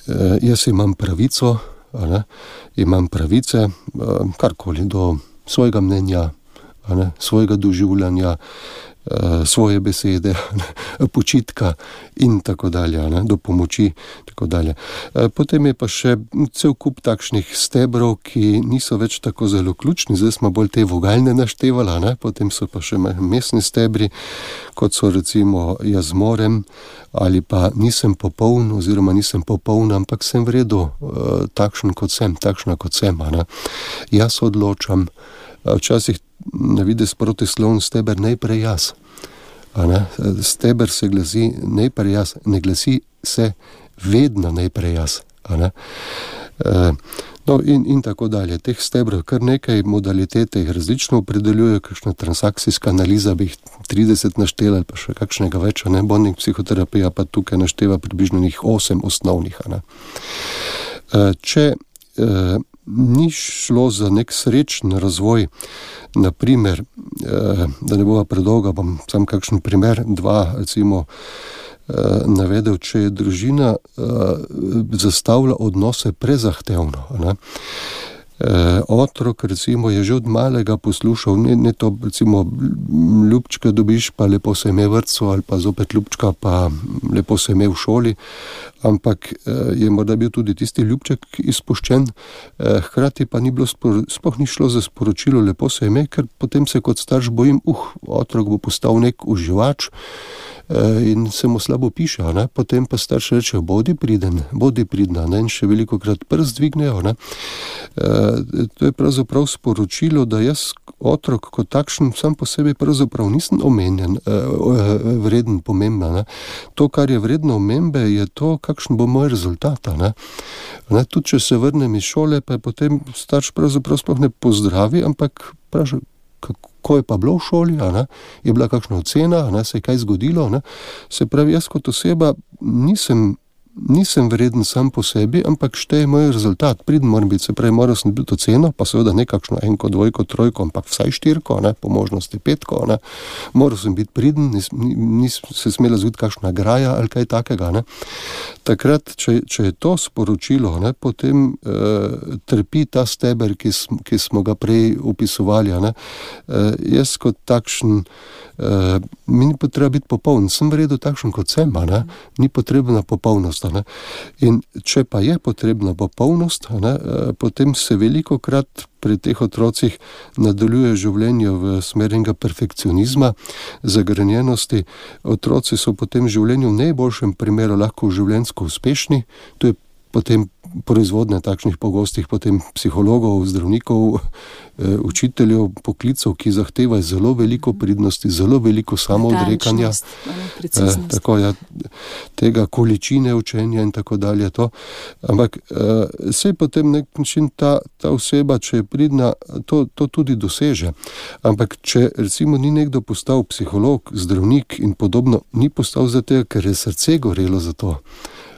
B: uh, jaz imam pravico, a ne, imam pravice, uh, karkoli, do svojega mnenja, a ne, svojega doživljanja, uh, svoje besede, ne, počitka in tako dalje, a ne, do pomoči, tako dalje. Uh, potem je pa še cel kup takšnih stebrov, ki niso več tako zelo ključni, zdaj smo bolj te vogalne naštevala, ne, potem so pa še mestni stebri, kot so recimo jaz zmorem, ali pa nisem popoln, oziroma nisem popoln, ampak sem v redu, uh, takšen kot sem, takšna kot sem, a ne. Jaz odločam, uh, včasih ne vidi protisloven steber najprej jaz, a ne. Steber se glasi najprej jaz, ne glasi se vedno najprej jaz, a ne. Uh, no in, in tako dalje. Teh stebrov kar nekaj, modalitete jih različno opredeljujejo, kakšna transakcijska analiza bi jih trideset naštela, ali pa še kakšnega več, a ne, bonding psihoterapija pa tukaj našteva približno njih osem osnovnih, a ne. Uh, če uh, ni šlo za nek srečen razvoj, naprimer, uh, da ne bova predolga, bom sam kakšen primer, dva, recimo, navedel, če je družina uh, zastavila odnose prezahtevno, ne? otrok recimo je že od malega poslušal, ne, ne to recimo ljubčka dobiš, pa lepo se ime v vrtcu, ali pa zopet ljubčka, pa lepo se ime v šoli, ampak je morda bil tudi tisti ljubček izpuščen, hkrati pa ni bilo, sploh ni šlo za sporočilo lepo se ime, ker potem se kot starš bojim, uh, otrok bo postal nek uživač in se mu slabo piše, ne? Potem pa starš reče, bodi priden, bodi pridna, ne? In še veliko krat prst dvignejo. Ne? E, to je pravzaprav sporočilo, da jaz otrok kot takšen sam po sebi pravzaprav nisem omenjen, e, vreden, pomemben. Ne? To, kar je vredno omembe, je to, kakšen bo moj rezultat. Ne? Ne? Tudi, če se vrnem iz šole, pa je potem starš pravzaprav sploh ne pozdravi, ampak pravi, kako je pa bilo v šoli, a ne? Je bila kakšna ocena, a ne? Se je kaj zgodilo, ne? Se pravi, jaz kot oseba nisem, nisem vreden sam po sebi, ampak šteje moj rezultat, priden moram biti, se pravi, moral sem biti oceno, pa seveda ne kakšno enko, dvojko, trojko, ampak vsaj štirko, ne? Po možnosti petko, ne? Moral sem biti priden, nis, nis se smela zgoditi kakšna graja ali kaj takega, ne? Takrat, če, če je to sporočilo, ne, potem e, trpi ta steber, ki, sm, ki smo ga prej opisovali. Ne. E, jaz kot takšen, e, mi ni potreba biti popoln, sem v redu takšen kot sem, ne. Ni potrebna popolnost. Ne. In če pa je potrebna popolnost, ne, e, potem se veliko krat pri teh otrocih nadaljuje življenje v smer enega perfekcionizma, zagrenjenosti. Otroci so potem v življenju v najboljšem primeru lahko življenjsko uspešni, to je potem proizvodnja takšnih pogostih potem psihologov, zdravnikov, e, učiteljev, poklicov, ki zahtevajo zelo veliko pridnosti, zelo veliko samoodrekanja, e, tako ja, tega količine učenja in tako dalje. To. Ampak e, se potem nek način ta, ta oseba, če je pridna, to, to tudi doseže. Ampak če recimo ni nekdo postal psiholog, zdravnik in podobno, ni postal za tega, ker je srce gorelo za to.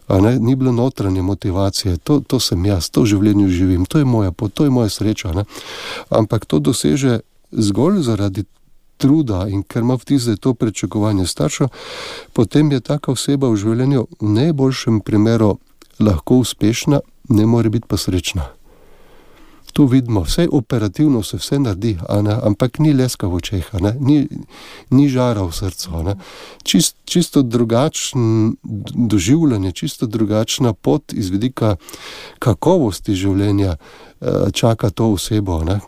B: A ne, ni bilo notranje motivacije, to, to sem jaz, to v življenju živim, to je moja pot, to je moja sreča. Ne? Ampak to doseže zgolj zaradi truda in ker ima vtis, da je to pričakovanje staršev, potem je taka oseba v življenju v najboljšem primeru lahko uspešna, ne more biti pa srečna. Tu vidimo, vse operativno se vse naredi, a ne, ampak ni leska v očeh, a ne, ni, ni žara v srcu. A ne. Čist, čisto drugačen doživljanje, čisto drugačna pot iz vidika kakovosti življenja čaka to osebo, ne.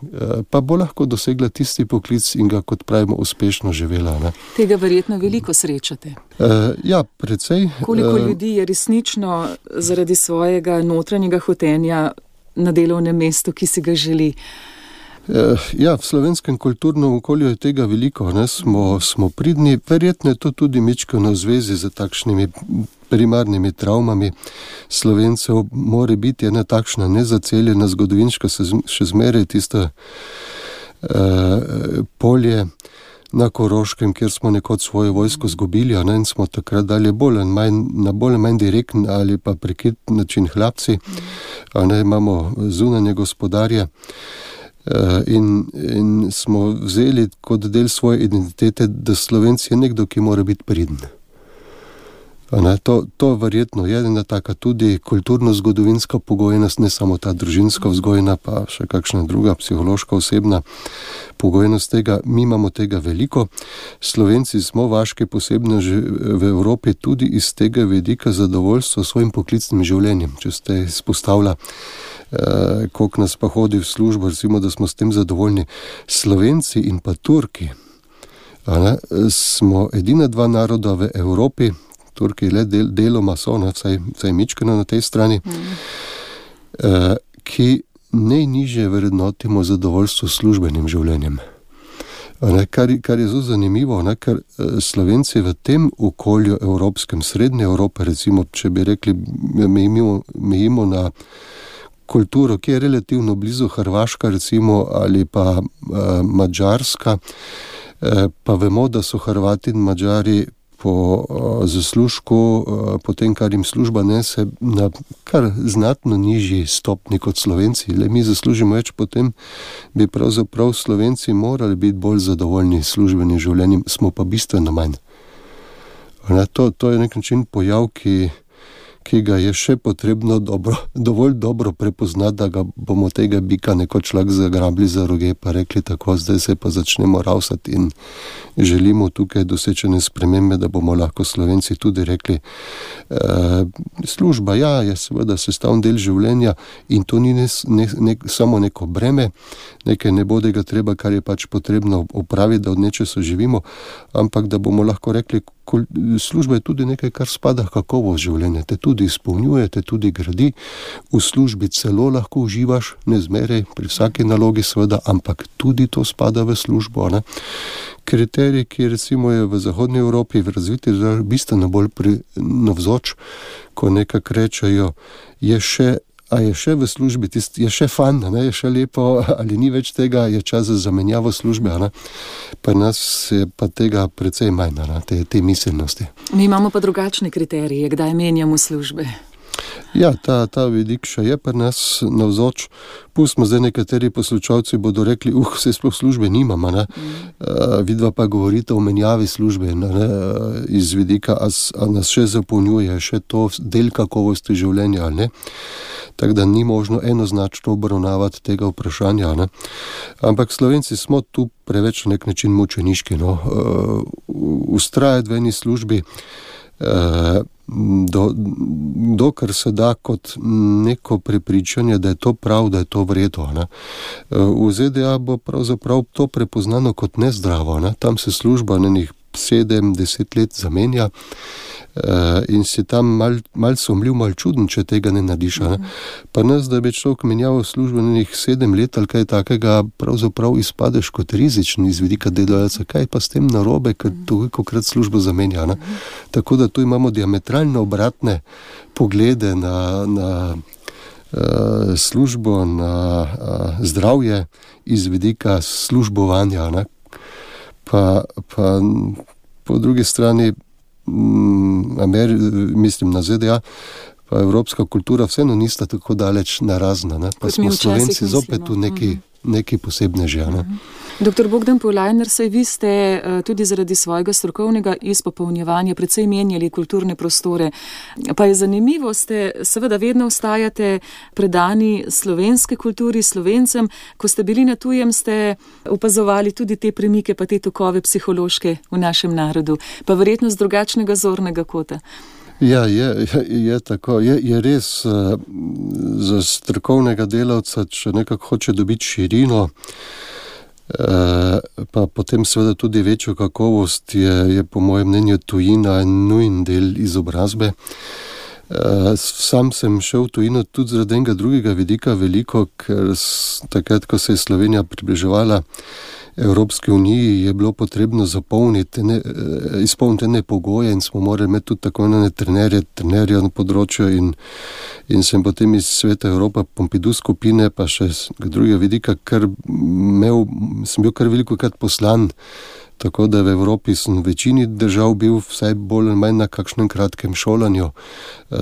B: Pa bo lahko dosegla tisti poklic in ga, kot pravimo, uspešno živela. Ne.
A: Tega verjetno veliko srečate.
B: Uh, ja, precej.
A: Koliko uh, ljudi je resnično zaradi svojega notranjega hotenja na delovnem mestu, ki si ga želi?
B: Ja, v slovenskem kulturnem okolju je tega veliko, ne, smo, smo pridni, verjetno je to tudi mičkano v zvezi z takšnimi primarnimi travmami Slovencev, more biti ena takšna nezaceljena zgodovinska, še zmeraj tisto uh, polje na Koroškem, kjer smo nekod svojo vojsko zgubili, a ne, in smo takrat dali bolj in manj, na bolj in manj direktn ali pa prekrit način hlapci, a ne, imamo zunanje gospodarje in, in smo vzeli kot del svoje identitete, da Slovenci je nekdo, ki mora biti priden. Ne, to, to verjetno je ena taka tudi kulturno-zgodovinska pogojenost, ne samo ta družinska vzgojna, pa še kakšna druga psihološka osebna pogojenost tega. Mi imamo tega veliko. Slovenci smo vaški posebno v Evropi tudi iz tega vidika zadovoljstva s svojim poklicnim življenjem. Če ste izpostavila, eh, koliko nas pa hodi v službo, recimo, da smo s tem zadovoljni. Slovenci in pa Turki, a ne, smo edina dva naroda v Evropi, Turki le del, deloma so, ne, vsaj, vsaj mičkano na tej strani, mm. eh, ki najnižje vrednotimo zadovoljstvo s službenim življenjem. Ne, kar, kar je zelo zanimivo, ne, ker Slovenci v tem okolju evropskem, srednje Evrope, recimo, če bi rekli, mejimo, mejimo na kulturo, ki je relativno blizu Hrvaška, recimo, ali pa eh, Madžarska, eh, pa vemo, da so Hrvati in Madžari po uh, zaslužku, uh, po tem, kar jim služba nese, na kar znatno nižji stopni kot Slovenci. Le mi zaslužimo več, potem bi pravzaprav Slovenci morali biti bolj zadovoljni službenim življenjem, smo pa bistveno manj. Ne, to, to je nek način pojav, ki, ki ga je še potrebno dobro, dovolj dobro prepoznati, da ga bomo tega bika nekoč lahko zagrabili za roge, pa rekli tako, zdaj se pa začnemo ravsati in želimo tukaj dosečene spremembe, da bomo lahko Slovenci tudi rekli, e, služba, ja, je seveda sestavni del življenja in to ni ne, ne, ne, samo neko breme, nekaj nebodega treba, kar je pač potrebno opraviti, da od nečesa živimo, ampak da bomo lahko rekli, služba je tudi nekaj, kar spada v kakovost življenja, te tudi izpolnjuje, te tudi gradi, v službi celo lahko uživaš, ne zmeraj, pri vsaki nalogi seveda, ampak tudi to spada v službo, ne. Kriterij, ki recimo je v Zahodnji Evropi, v razviti državi, bistveno bolj navzoč, ko nekako rečejo, je še a je še v službi, tist, je še fan, ne, je še lepo, ali ni več tega, je čas za zamenjavo službe, ne. Pa nas je pa tega precej manj, ne, te, te miselnosti.
A: Mi imamo pa drugačne kriterije, kdaj menjamo službe.
B: Ja, ta, ta vidik še je pri nas navzoč. Pustimo zdaj, nekateri poslušalci bodo rekli, uh, se sploh službe nimamo, ne. Mm. Uh, vidva pa govorite o menjavi službe, ne, ne, iz vidika, a, a nas še zapolnjuje, še to del kakovosti življenja, ali ne. Tako da ni možno enoznačno obravnavati tega vprašanja, ne. Ampak Slovenci smo tu preveč na nek način mučeniški, no. Uh, ustrajati v eni službi, uh, Do, dokar se da kot neko prepričanje, da je to prav, da je to vredo, ne. V Z D A bo pravzaprav to prepoznano kot nezdravo, ne. Tam se služba na njih sedem, deset let zamenja in si tam mal, mal somljiv, mal čuden, če tega ne nadiš, ne. Pa nas, da bi človek menjal službo na njih sedem let ali kaj takega, pravzaprav izpadeš kot rizičen iz vidika delovalca. Kaj pa s tem narobe, ker tolikokrat službo zamenja, ne. Tako da tu imamo diametralno obratne poglede na, na uh, službo, na uh, zdravje iz vidika službovanja, ne. Pa, pa po drugi strani Ameri, mislim na Z D A, pa evropska kultura vseeno nista tako daleč narazna, ne? Pa smo Slovenci zopet v neki, neki posebne že, ne?
A: Doktor Bogdan Polajner, saj vi ste tudi zaradi svojega strokovnega izpopolnjevanja precej menjali kulturne prostore. Pa je zanimivo, ste seveda vedno ostajate predani slovenske kulturi, Slovencem. Ko ste bili na tujem, ste opazovali tudi te premike, pa te tokove psihološke v našem narodu. Pa verjetno z drugačnega zornega kota.
B: Ja, je, je, je tako. Je, je res uh, za strokovnega delavca, če nekako hoče dobiti širino, Uh, pa potem seveda tudi večjo kakovost, je, je po mojem mnenju tujina nujen del izobrazbe. Uh, sam sem šel v tujino tudi zaradi enega drugega vidika veliko, ker takrat, ko se je Slovenija približevala Evropski uniji, je bilo potrebno zapolniti, ne, izpolniti ene pogoje in smo morali imeti tudi tako ene trenerje, trenerje na področju in, in sem potem iz Sveta Evropa, Pompidou skupine, pa še drugega vidika, ker imel, sem bil kar veliko krat poslan, tako da v Evropi sem v večini držav bil vsaj bolj ali manj na kakšnem kratkem šolanju,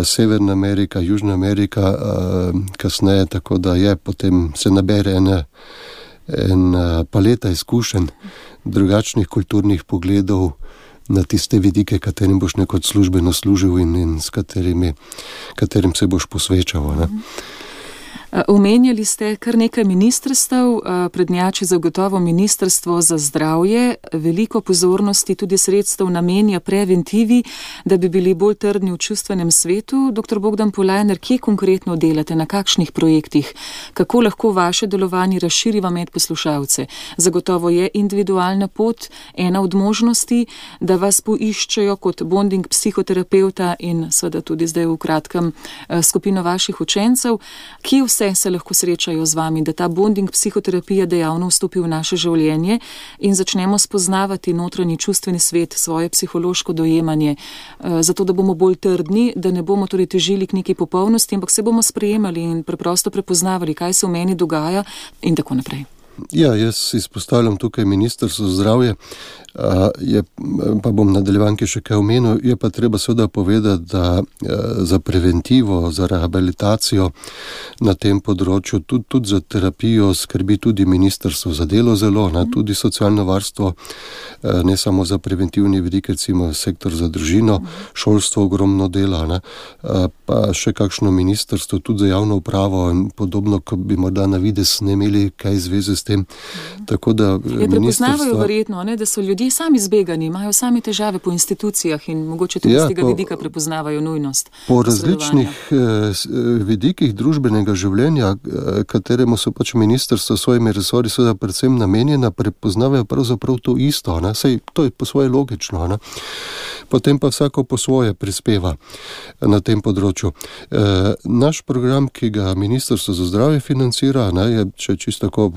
B: Severna Amerika, Južna Amerika, kasneje, tako da je potem se nabere ene en paleta izkušenj, drugačnih kulturnih pogledov na tiste vidike, katerim boš nekot službeno služil in, in s katerimi, katerim se boš posvečal, ne.
A: Omenjali ste kar nekaj ministrstev, prednjači zagotovo Ministrstvo za zdravje, veliko pozornosti tudi sredstev namenja preventivi, da bi bili bolj trdni v čustvenem svetu. Doktor Bogdan Polajner, kje konkretno delate, na kakšnih projektih, kako lahko vaše delovanje razširiva med poslušalce? Zagotovo je individualna pot ena od možnosti, da vas poiščejo kot bonding psihoterapeuta in seveda tudi zdaj v kratkem skupino vaših učencev. Kje vse se lahko srečajo z vami, da ta bonding psihoterapija dejavno vstopi v naše življenje in začnemo spoznavati notranji čustveni svet, svoje psihološko dojemanje, zato da bomo bolj trdni, da ne bomo torej težili k neki popolnosti, ampak se bomo sprejemali in preprosto prepoznavali, kaj se v meni dogaja in tako naprej.
B: Ja, jaz izpostavljam tukaj Ministrstvo za zdravje, je, pa bom nadaljevanke še kaj omenil, je pa treba seveda povedati, da za preventivo, za rehabilitacijo na tem področju, tudi, tudi za terapijo skrbi tudi Ministrstvo za delo zelo, ne, tudi socialno varstvo, ne samo za preventivni vidik, recimo sektor za družino, šolstvo ogromno dela, ne, pa še kakšno ministrstvo tudi za javno upravo in podobno, ko bi morda na vides ne imeli kaj zveze s tem. Tako da
A: je prepoznavajo verjetno, ne, da so ljudje sami zbegani, imajo sami težave po institucijah in mogoče tudi
B: ja,
A: z tega
B: po,
A: vidika prepoznavajo nujnost.
B: Po različnih eh, vidikih družbenega življenja, eh, kateremu so pač ministrstvo s svojimi resorji seveda predvsem namenjena, prepoznavajo pravzaprav to isto, ne? Sej to je po svoje logično, ne? Potem pa vsako po svoje prispeva na tem področju. E, naš program, ki ga Ministrstvo za zdravje financira, ne, je, če čisto tako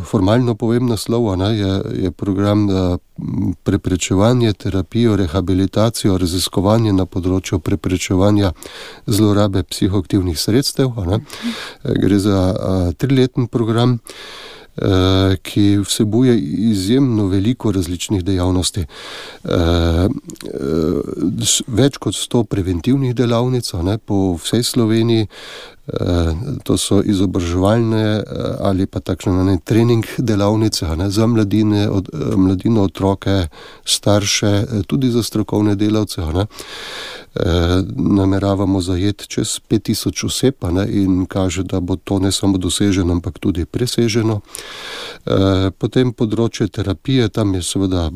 B: formalno povem naslov, ne, je, je program preprečevanje, terapijo, rehabilitacijo, raziskovanje na področju preprečevanja zlorabe psihoaktivnih sredstev. Ne. Gre za a, trileten program, ki vsebuje izjemno veliko različnih dejavnosti. Več kot sto preventivnih delavnic, ne, po vsej Sloveniji, to so izobraževalne ali pa takšne ne, trening delavnice, ne, za mladine, od, mladino, otroke, starše, tudi za strokovne delavce, ne. E, nameravamo zajeti čez pet tisoč oseb, ne, in kaže, da bo to ne samo doseženo, ampak tudi preseženo. E, potem področje terapije, tam je seveda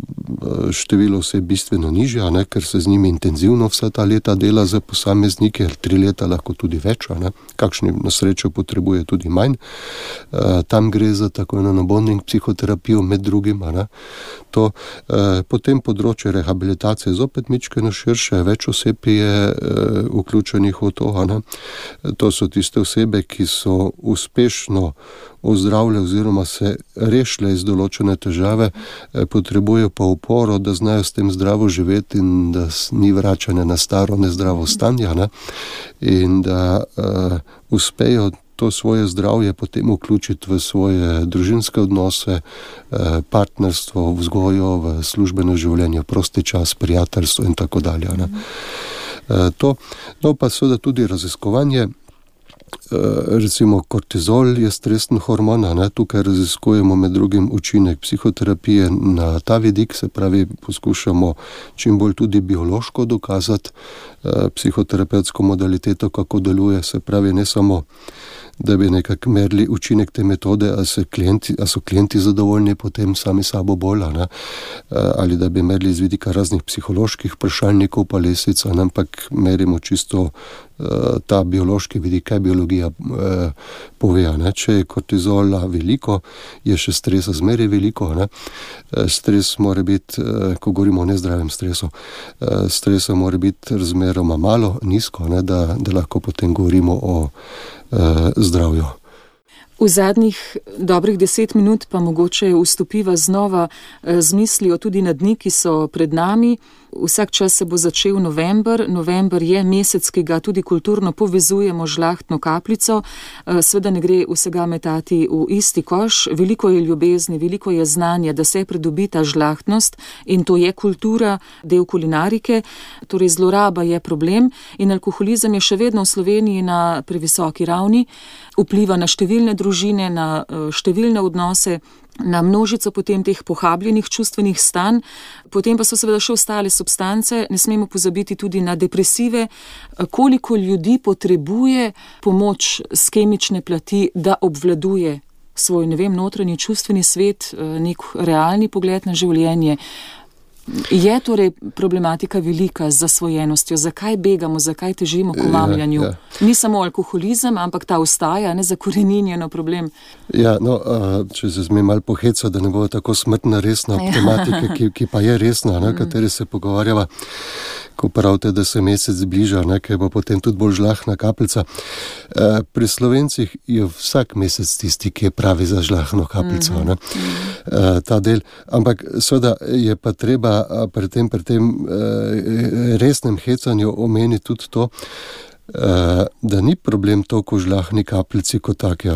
B: število oseb bistveno nižje, ne, ker se z njimi intenzivno vsa ta leta dela za posameznike, tri leta lahko tudi več, ne, kakšni na srečo potrebuje tudi manj. E, tam gre za tako eno bonding psihoterapijo med drugim, ne. To, e, potem področje rehabilitacije zopet mičkeno širše, več oseb je e, vključenih v to, ne. To so tiste osebe, ki so uspešno ozdravile oziroma se rešile iz določene težave, e, potrebujejo pa uporo, da znajo s tem zdravo živeti in da ni vračane na staro nezdravo stanje, ne. In da e, uspejo to svoje zdravje potem vključiti v svoje družinske odnose, partnerstvo, vzgojo, v službeno življenje, prosti čas, prijateljstvo in tako dalje. Ne. To, no pa seveda tudi raziskovanje, recimo kortizol je stresen hormon, ne, tukaj raziskujemo med drugim učinek psihoterapije na ta vidik, se pravi poskušamo čim bolj tudi biološko dokazati psihoterapevtsko modaliteto, kako deluje, se pravi ne samo da bi nekako merili učinek te metode, a, se klienti, a so klienti zadovoljni potem sami sabo bolj, ne? Ali da bi merili iz vidika raznih psiholoških vprašalnikov pa lesic, ampak merimo čisto ta biološki vidik, kaj biologija eh, pove. Ne? Če je kortizola veliko, je še stresa zmeraj veliko. Ne? Stres mora biti, eh, ko govorimo o nezdravem stresu, eh, stresa mora biti razmeroma malo, nizko, ne? Da, da lahko potem govorimo o eh, zdravju.
A: V zadnjih dobrih deset minut pa mogoče vstopiva znova z mislijo tudi na dni, ki so pred nami. Vsak čas se bo začel november. November je mesec, ki ga tudi kulturno povezujemo z žlahtno kapljico. Sveda ne gre vsega metati v isti koš. Veliko je ljubezni, veliko je znanja, da se pridobi ta žlahtnost in to je kultura, del kulinarike. Torej zloraba je problem in alkoholizem je še vedno v Sloveniji na previsoki ravni. Vpliva na številne družine, na številne odnose, na množico potem teh pohabljenih čustvenih stanj, potem pa so seveda še ostale substance, ne smemo pozabiti tudi na depresive, koliko ljudi potrebuje pomoč s kemične plati, da obvladuje svoj, ne vem, notranji čustveni svet, nek realni pogled na življenje. Je torej problematika velika z zasvojenostjo? Zakaj begamo, zakaj težimo k omamljanju? Ja, ja. Ni samo alkoholizem, ampak ta ostaja, ne, zakoreninjeno problem.
B: Ja, no, če se smem malo pohecati, da ne bo tako smrtna resna ja. tematika, ki, ki pa je resna, na kateri se pogovarjava, ko pravite, da se mesec bliža, ne, ker bo potem tudi bolj žlahna kapljica. Pri Slovencih je vsak mesec tisti, ki je pravi za žlahno kapljico, mm-hmm. ne, ta del. Ampak seveda je pa treba pri tem, pri tem resnem hecanju omeniti tudi to, da ni problem toliko žlahni kapljici kot taki.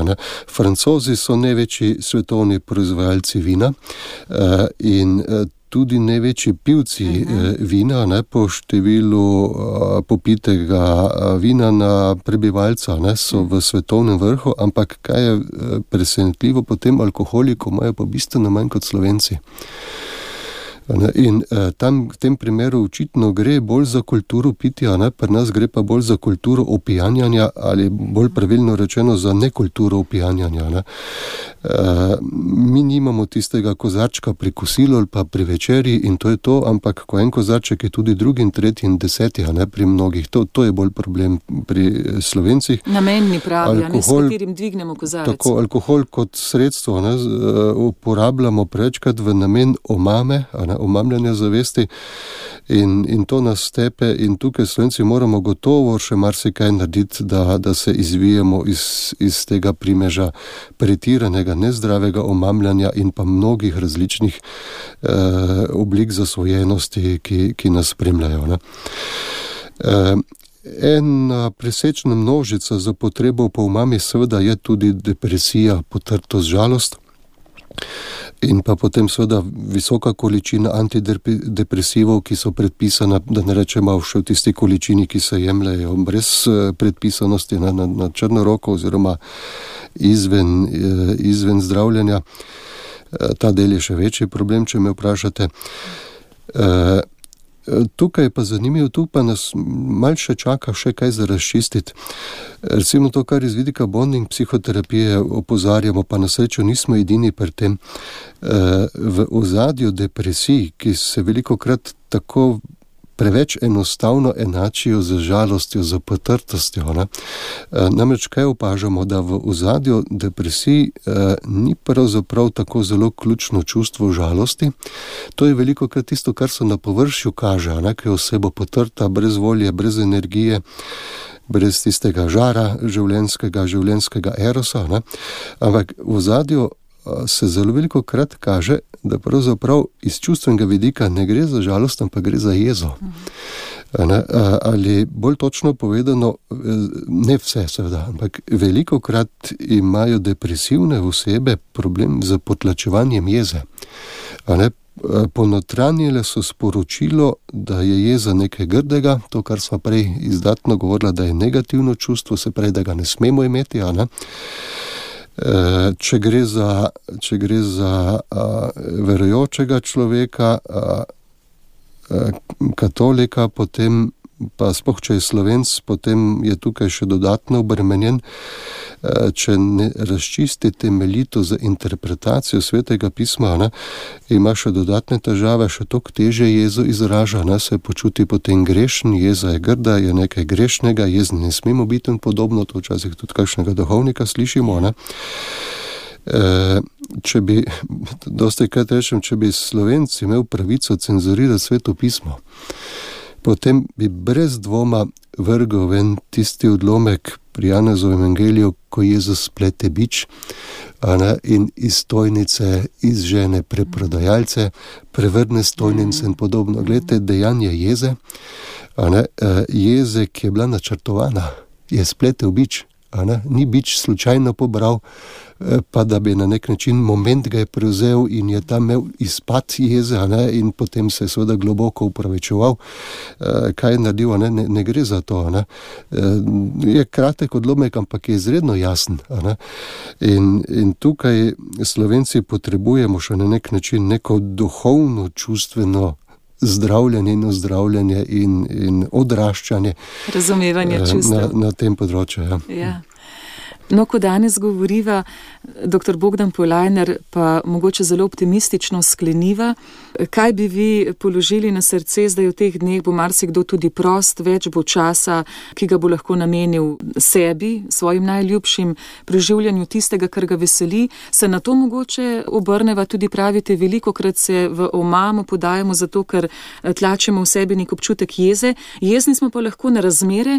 B: Francozi so največji svetovni proizvajalci vina in tudi največji pivci uh-huh. vina, ne, po številu uh, popitega vina na prebivalca, ne, so v svetovnem vrhu, ampak kaj je presenetljivo, potem alkoholikov imajo pa bistveno manj kot Slovenci. In eh, tam v tem primeru očitno gre bolj za kulturo pitja, ne? Pri nas gre pa bolj za kulturo opijanjanja ali bolj pravilno rečeno za nekulturo opijanjanja. Ne? Eh, mi nimamo tistega kozarčka pri kosilu ali pa pri večerji in to je to, ampak ko en kozarček je tudi drugi in tretji in deseti, ne? Pri mnogih. To, to je bolj problem pri Slovencih.
A: Namenni pravi, alkohol, ne, s katerim dvignemo kozarec.
B: Tako, alkohol kot sredstvo, ne, uporabljamo prečkrat v namen omame, ne, omamljanja zavesti in, in to nas stepe in tukaj Slovenci moramo gotovo še marsikaj narediti, da, da se izvijemo iz, iz tega primeža pretiranega, nezdravega omamljanja in pa mnogih različnih eh, oblik zasvojenosti, ki, ki nas spremljajo. Ne. Eh, Ena presečna množica za potrebo po omami seveda je tudi depresija, potrtost, žalost. In pa potem seveda visoka količina antidepresivov, ki so predpisana, da ne rečemo še v tisti količini, ki se jemljajo brez predpisanosti na, na, na črno roko oziroma izven, izven zdravljenja. Ta del je še večji problem, če me vprašate. Tukaj je pa zanimivo, tu pa nas malo še čaka še kaj za razčistiti. Recimo to, kar iz vidika bonding psihoterapije opozarjamo, pa na srečo nismo edini pri tem. V ozadju depresij, ki se velikokrat tako preveč enostavno enačijo z žalostjo, z potrtostjo. Ne? Namreč kaj opažamo, da v ozadju depresij ni pravzaprav tako zelo ključno čustvo žalosti. To je velikokrat tisto, kar se na površju kaže, ne? Ko je oseba potrta, brez volje, brez energije, brez tistega žara življenjskega, življenjskega erosa. Ne? Ampak v ozadju se zelo veliko krat kaže, da pravzaprav iz čustvenega vidika ne gre za žalost, ampak gre za jezo. Ne? Ali bolj točno povedano, ne vse seveda, ampak veliko krat imajo depresivne osebe problem z potlačevanjem jeze. Ne? Ponotranjile so sporočilo, da je jeza nekaj grdega, to, kar smo prej izdatno govorila, da je negativno čustvo, se prej, da ga ne smemo imeti, a ne? Če gre za, če gre za a, verujočega človeka, a, a, katolika, potem pa sploh, če je Slovenc, potem je tukaj še dodatno obremenjen. Če ne razčisti temeljito za interpretacijo Svetega pisma, ne, ima še dodatne težave, še toliko teže jezo izraža, ne, se počuti potem grešen, jeza je grda, je nekaj grešnega, jezni ne smemo biti in podobno, to včasih tudi kakšnega duhovnika slišimo. Ne. E, če bi, dosti krat rečem, če bi Slovenc imel pravico cenzurirati Sveto pismo, potem bi brez dvoma vrgel ven tisti odlomek pri Janezovem evangeliju, ko Jezus splete bič, ne, in iz stojnice izžene preprodajalce, prevrne stojnice in podobno. Glejte, dejanje jeze, ne, jeze, ki je bila načrtovana, je spletel bič, ne, ni bič slučajno pobral, pa da bi na nek način moment ga je prevzel in je tam imel izpad jeze, ne, in potem se je seveda globoko upravičeval. Kaj je naredil, ne, ne, ne gre za to. Ne. Je kratek odlomek, ampak je izredno jasen. Ne. In, in tukaj Slovenci potrebujemo še na nek način neko duhovno, čustveno zdravljenje in ozdravljanje in, in odraščanje.
A: Razumevanje čustev.
B: Na, na tem področju, ja.
A: Ja. No, ko danes govoriva, doktor Bogdan Polajner pa mogoče zelo optimistično skleniva, kaj bi vi položili na srce, zdaj v teh dneh bo marsikdo tudi prost, več bo časa, ki ga bo lahko namenil sebi, svojim najljubšim, preživljanju tistega, kar ga veseli, se na to mogoče obrneva, tudi pravite, velikokrat se v omamo podajamo zato, ker tlačimo v sebi nek občutek jeze, jezni smo pa lahko na razmere,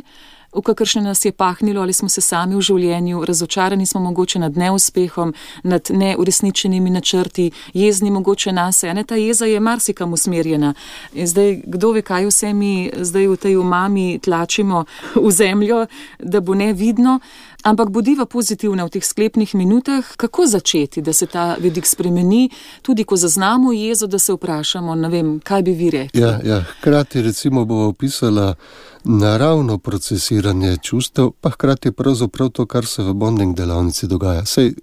A: v kakršne nas je pahnilo, ali smo se sami v življenju, razočarani smo mogoče nad neuspehom, nad neuresničenimi načrti, jezni mogoče nase, a ne, ta jeza je marsikam usmerjena. In zdaj, kdo ve, kaj vse mi zdaj v tej umami tlačimo v zemljo, da bo nevidno, ampak bodiva pozitivna v teh sklepnih minutah, kako začeti, da se ta vidik spremeni, tudi ko zaznamo jezo, da se vprašamo, ne vem, kaj bi vi rekli.
B: Ja, ja, hkrati recimo bo opisala naravno procesiranje čustev, pa hkrati pravzaprav to, kar se v bonding delavnici dogaja. Sej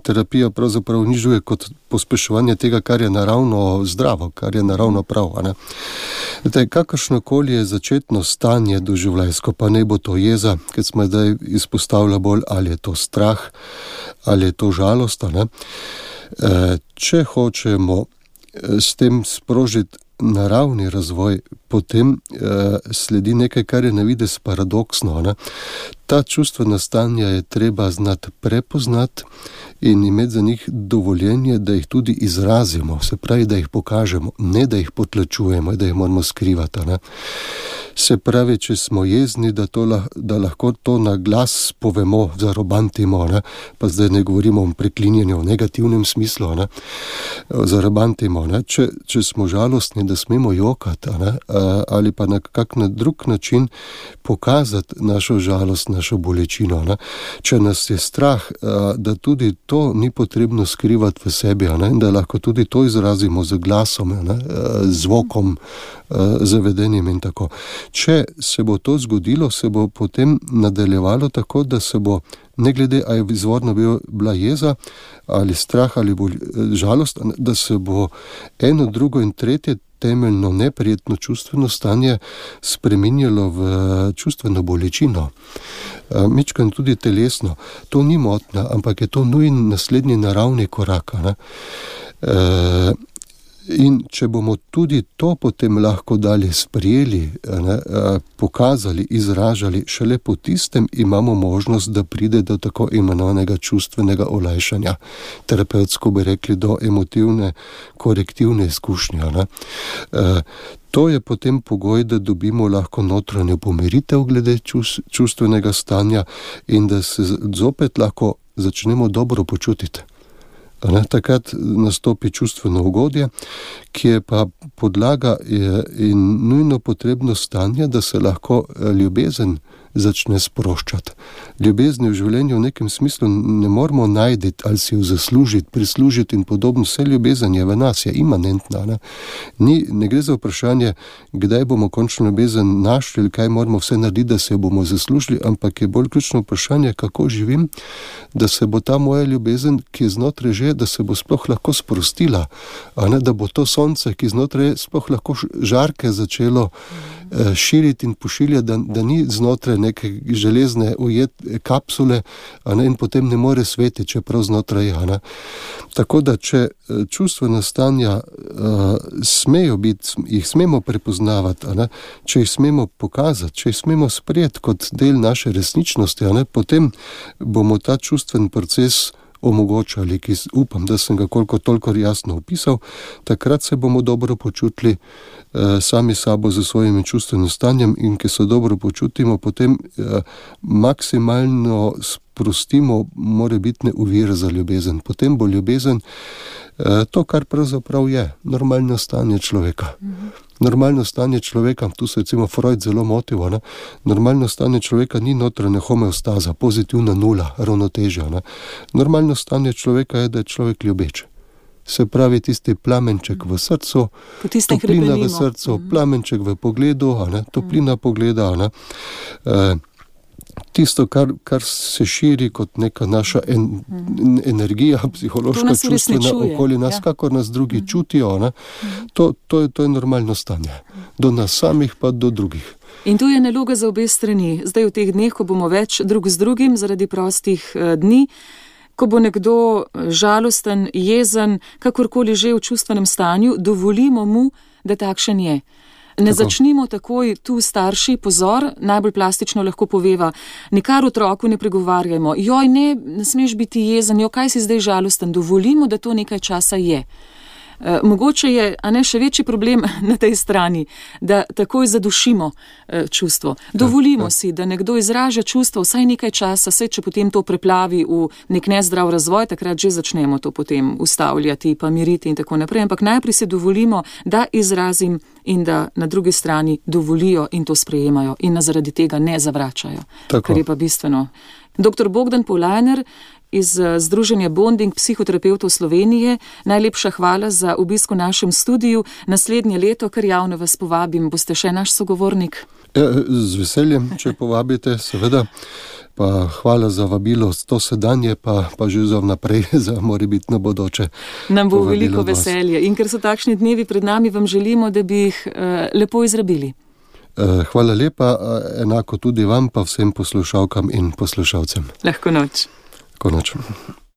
B: terapija pravzaprav nižuje kot pospeševanje tega, kar je naravno zdravo, kar je naravno prav. Ne? Zdaj, kakršnokoli je začetno stanje doživljajsko, pa ne bo to jeza, ker smo zdaj izpostavlja bolj, ali je to strah, ali je to žalost. Ne? E, če hočemo s tem sprožiti naravni razvoj, potem eh, sledi nekaj, kar je na videz paradoksno. Ne? Ta čustvena stanja je treba znati prepoznati in imeti za njih dovoljenje, da jih tudi izrazimo, se pravi, da jih pokažemo, ne da jih potlačujemo, da jih moramo skrivati. Ne? Se pravi, če smo jezni, da, to, da lahko to na glas povemo, zarobantimo, ne? Pa zdaj ne govorimo o preklinjanju v negativnem smislu, ne? Zarobantimo, ne? Če, če smo žalostni, da smemo jokati, ne? Ali pa na kak na drug način pokazati našo žalost, našo bolečino. Ne? Če nas je strah, da tudi to ni potrebno skrivati v sebi, ne? Da lahko tudi to izrazimo z glasom, ne? Zvokom, zavedenjem in tako. Če se bo to zgodilo, se bo potem nadaljevalo tako, da se bo, ne glede, a je izvorno bila jeza ali strah ali bolj, žalost, da se bo eno, drugo in tretje temeljno neprijetno čustveno stanje spreminjalo v čustveno bolečino. Mičkan tudi telesno. To ni motnja, ampak je to nujen naslednji naravni korak. Ne? E, In če bomo tudi to potem lahko dalje sprijeli, ne, pokazali, izražali, šele po tistem imamo možnost, da pride do tako imenovanega čustvenega olajšanja. Terapevtsko bi rekli do emotivne, korektivne izkušnje. Ne. To je potem pogoj, da dobimo lahko notranjo pomiritev glede čustvenega stanja in da se zopet lahko začnemo dobro počutiti. Ne, takrat nastopi čustveno ugodje, ki je pa podlaga in nujno potrebno stanje, da se lahko ljubezen začne sproščati. Ljubezni v življenju v nekem smislu ne moramo najti ali si jo zaslužiti, prislužiti in podobno. Vse ljubezen je v nas, je imanentna. Ne? Ni, ne gre za vprašanje, kdaj bomo končno ljubezen našli ali kaj moramo vse narediti, da se jo bomo zaslužili, ampak je bolj ključno vprašanje, kako živim, da se bo ta moja ljubezen, ki je znotraj že, da se bo sploh lahko sprostila, a ne, da bo to sonce, ki znotraj sploh lahko žarke začelo eh, širiti in pošiljati, da, da ni znotraj neke železne ujet kapsule, a ne, in potem ne more svetiti, čeprav znotraj je. Ne. Tako da, če čustvena stanja uh, smejo biti, jih smemo prepoznavati, a ne, če jih smemo pokazati, če jih smemo sprejeti kot del naše resničnosti, a ne, potem bomo ta čustven proces omogočali, ki upam, da sem ga koliko toliko jasno opisal, takrat se bomo dobro počutili eh, sami sabo za svojim čustvenim stanjem in ki se dobro počutimo, potem eh, maksimalno sprostimo morebitne ovire za ljubezen. Potem bo ljubezen eh, to, kar pravzaprav je, normalno stanje človeka. Mhm. Normalno stanje človeka, tu se recimo Freud zelo motil, ne? Normalno stanje človeka ni notranja homeostaza, pozitivna nula, ravnotežja. Ne? Normalno stanje človeka je, da je človek ljubeč. Se pravi, tisti plamenček v srcu, toplina v srcu, plamenček v pogledu, a ne? Toplina pogleda, a ne? E, tisto, kar, kar se širi kot neka naša en, en, energija, psihološka, čustvena okoli nas, ja. Kakor nas drugi mm. čutijo, ne? To, to, je, to je normalno stanje. Do nas samih pa do drugih.
A: In tu je naloga za obe strani. Zdaj v teh dneh, ko bomo več drug z drugim zaradi prostih eh, dni, ko bo nekdo žalosten, jezen, kakorkoli že v čustvenem stanju, dovolimo mu, da takšen je. Ne tako. Začnimo takoj tu starši, pozor, najbolj plastično lahko poveva, nikar otroku ne pregovarjajmo, joj, ne, ne smeš biti jezen, jo, kaj si zdaj žalosten, dovolimo, da to nekaj časa je. Uh, mogoče je, a ne, še večji problem na tej strani, da takoj zadušimo uh, čustvo. Dovolimo ja, ja. si, da nekdo izraža čustvo vsaj nekaj časa, saj če potem to preplavi v nek nezdrav razvoj, takrat že začnemo to potem ustavljati, pa miriti in tako naprej. Ampak najprej si dovolimo, da izrazim in da na drugi strani dovolijo in to sprejemajo in nas zaradi tega ne zavračajo. Tako. Kar je pa bistveno. Doktor Bogdan Polajner iz Združenja Bonding psihoterapevtov Slovenije, najlepša hvala za obisk v našem studiu. Naslednje leto, kar javno vas povabim, boste še naš sogovornik?
B: Ja, z veseljem, če povabite, seveda. Pa hvala za vabilo, to sedanje, pa, pa že za vnaprej, za morebitno bodoče.
A: Nam bo veliko veselje. In ker so takšni dnevi pred nami, vam želimo, da bi jih uh, lepo izrabili.
B: Hvala lepa, enako tudi vam, pa vsem poslušalkam in poslušalcem.
A: Lahko noč.
B: Lahko noč.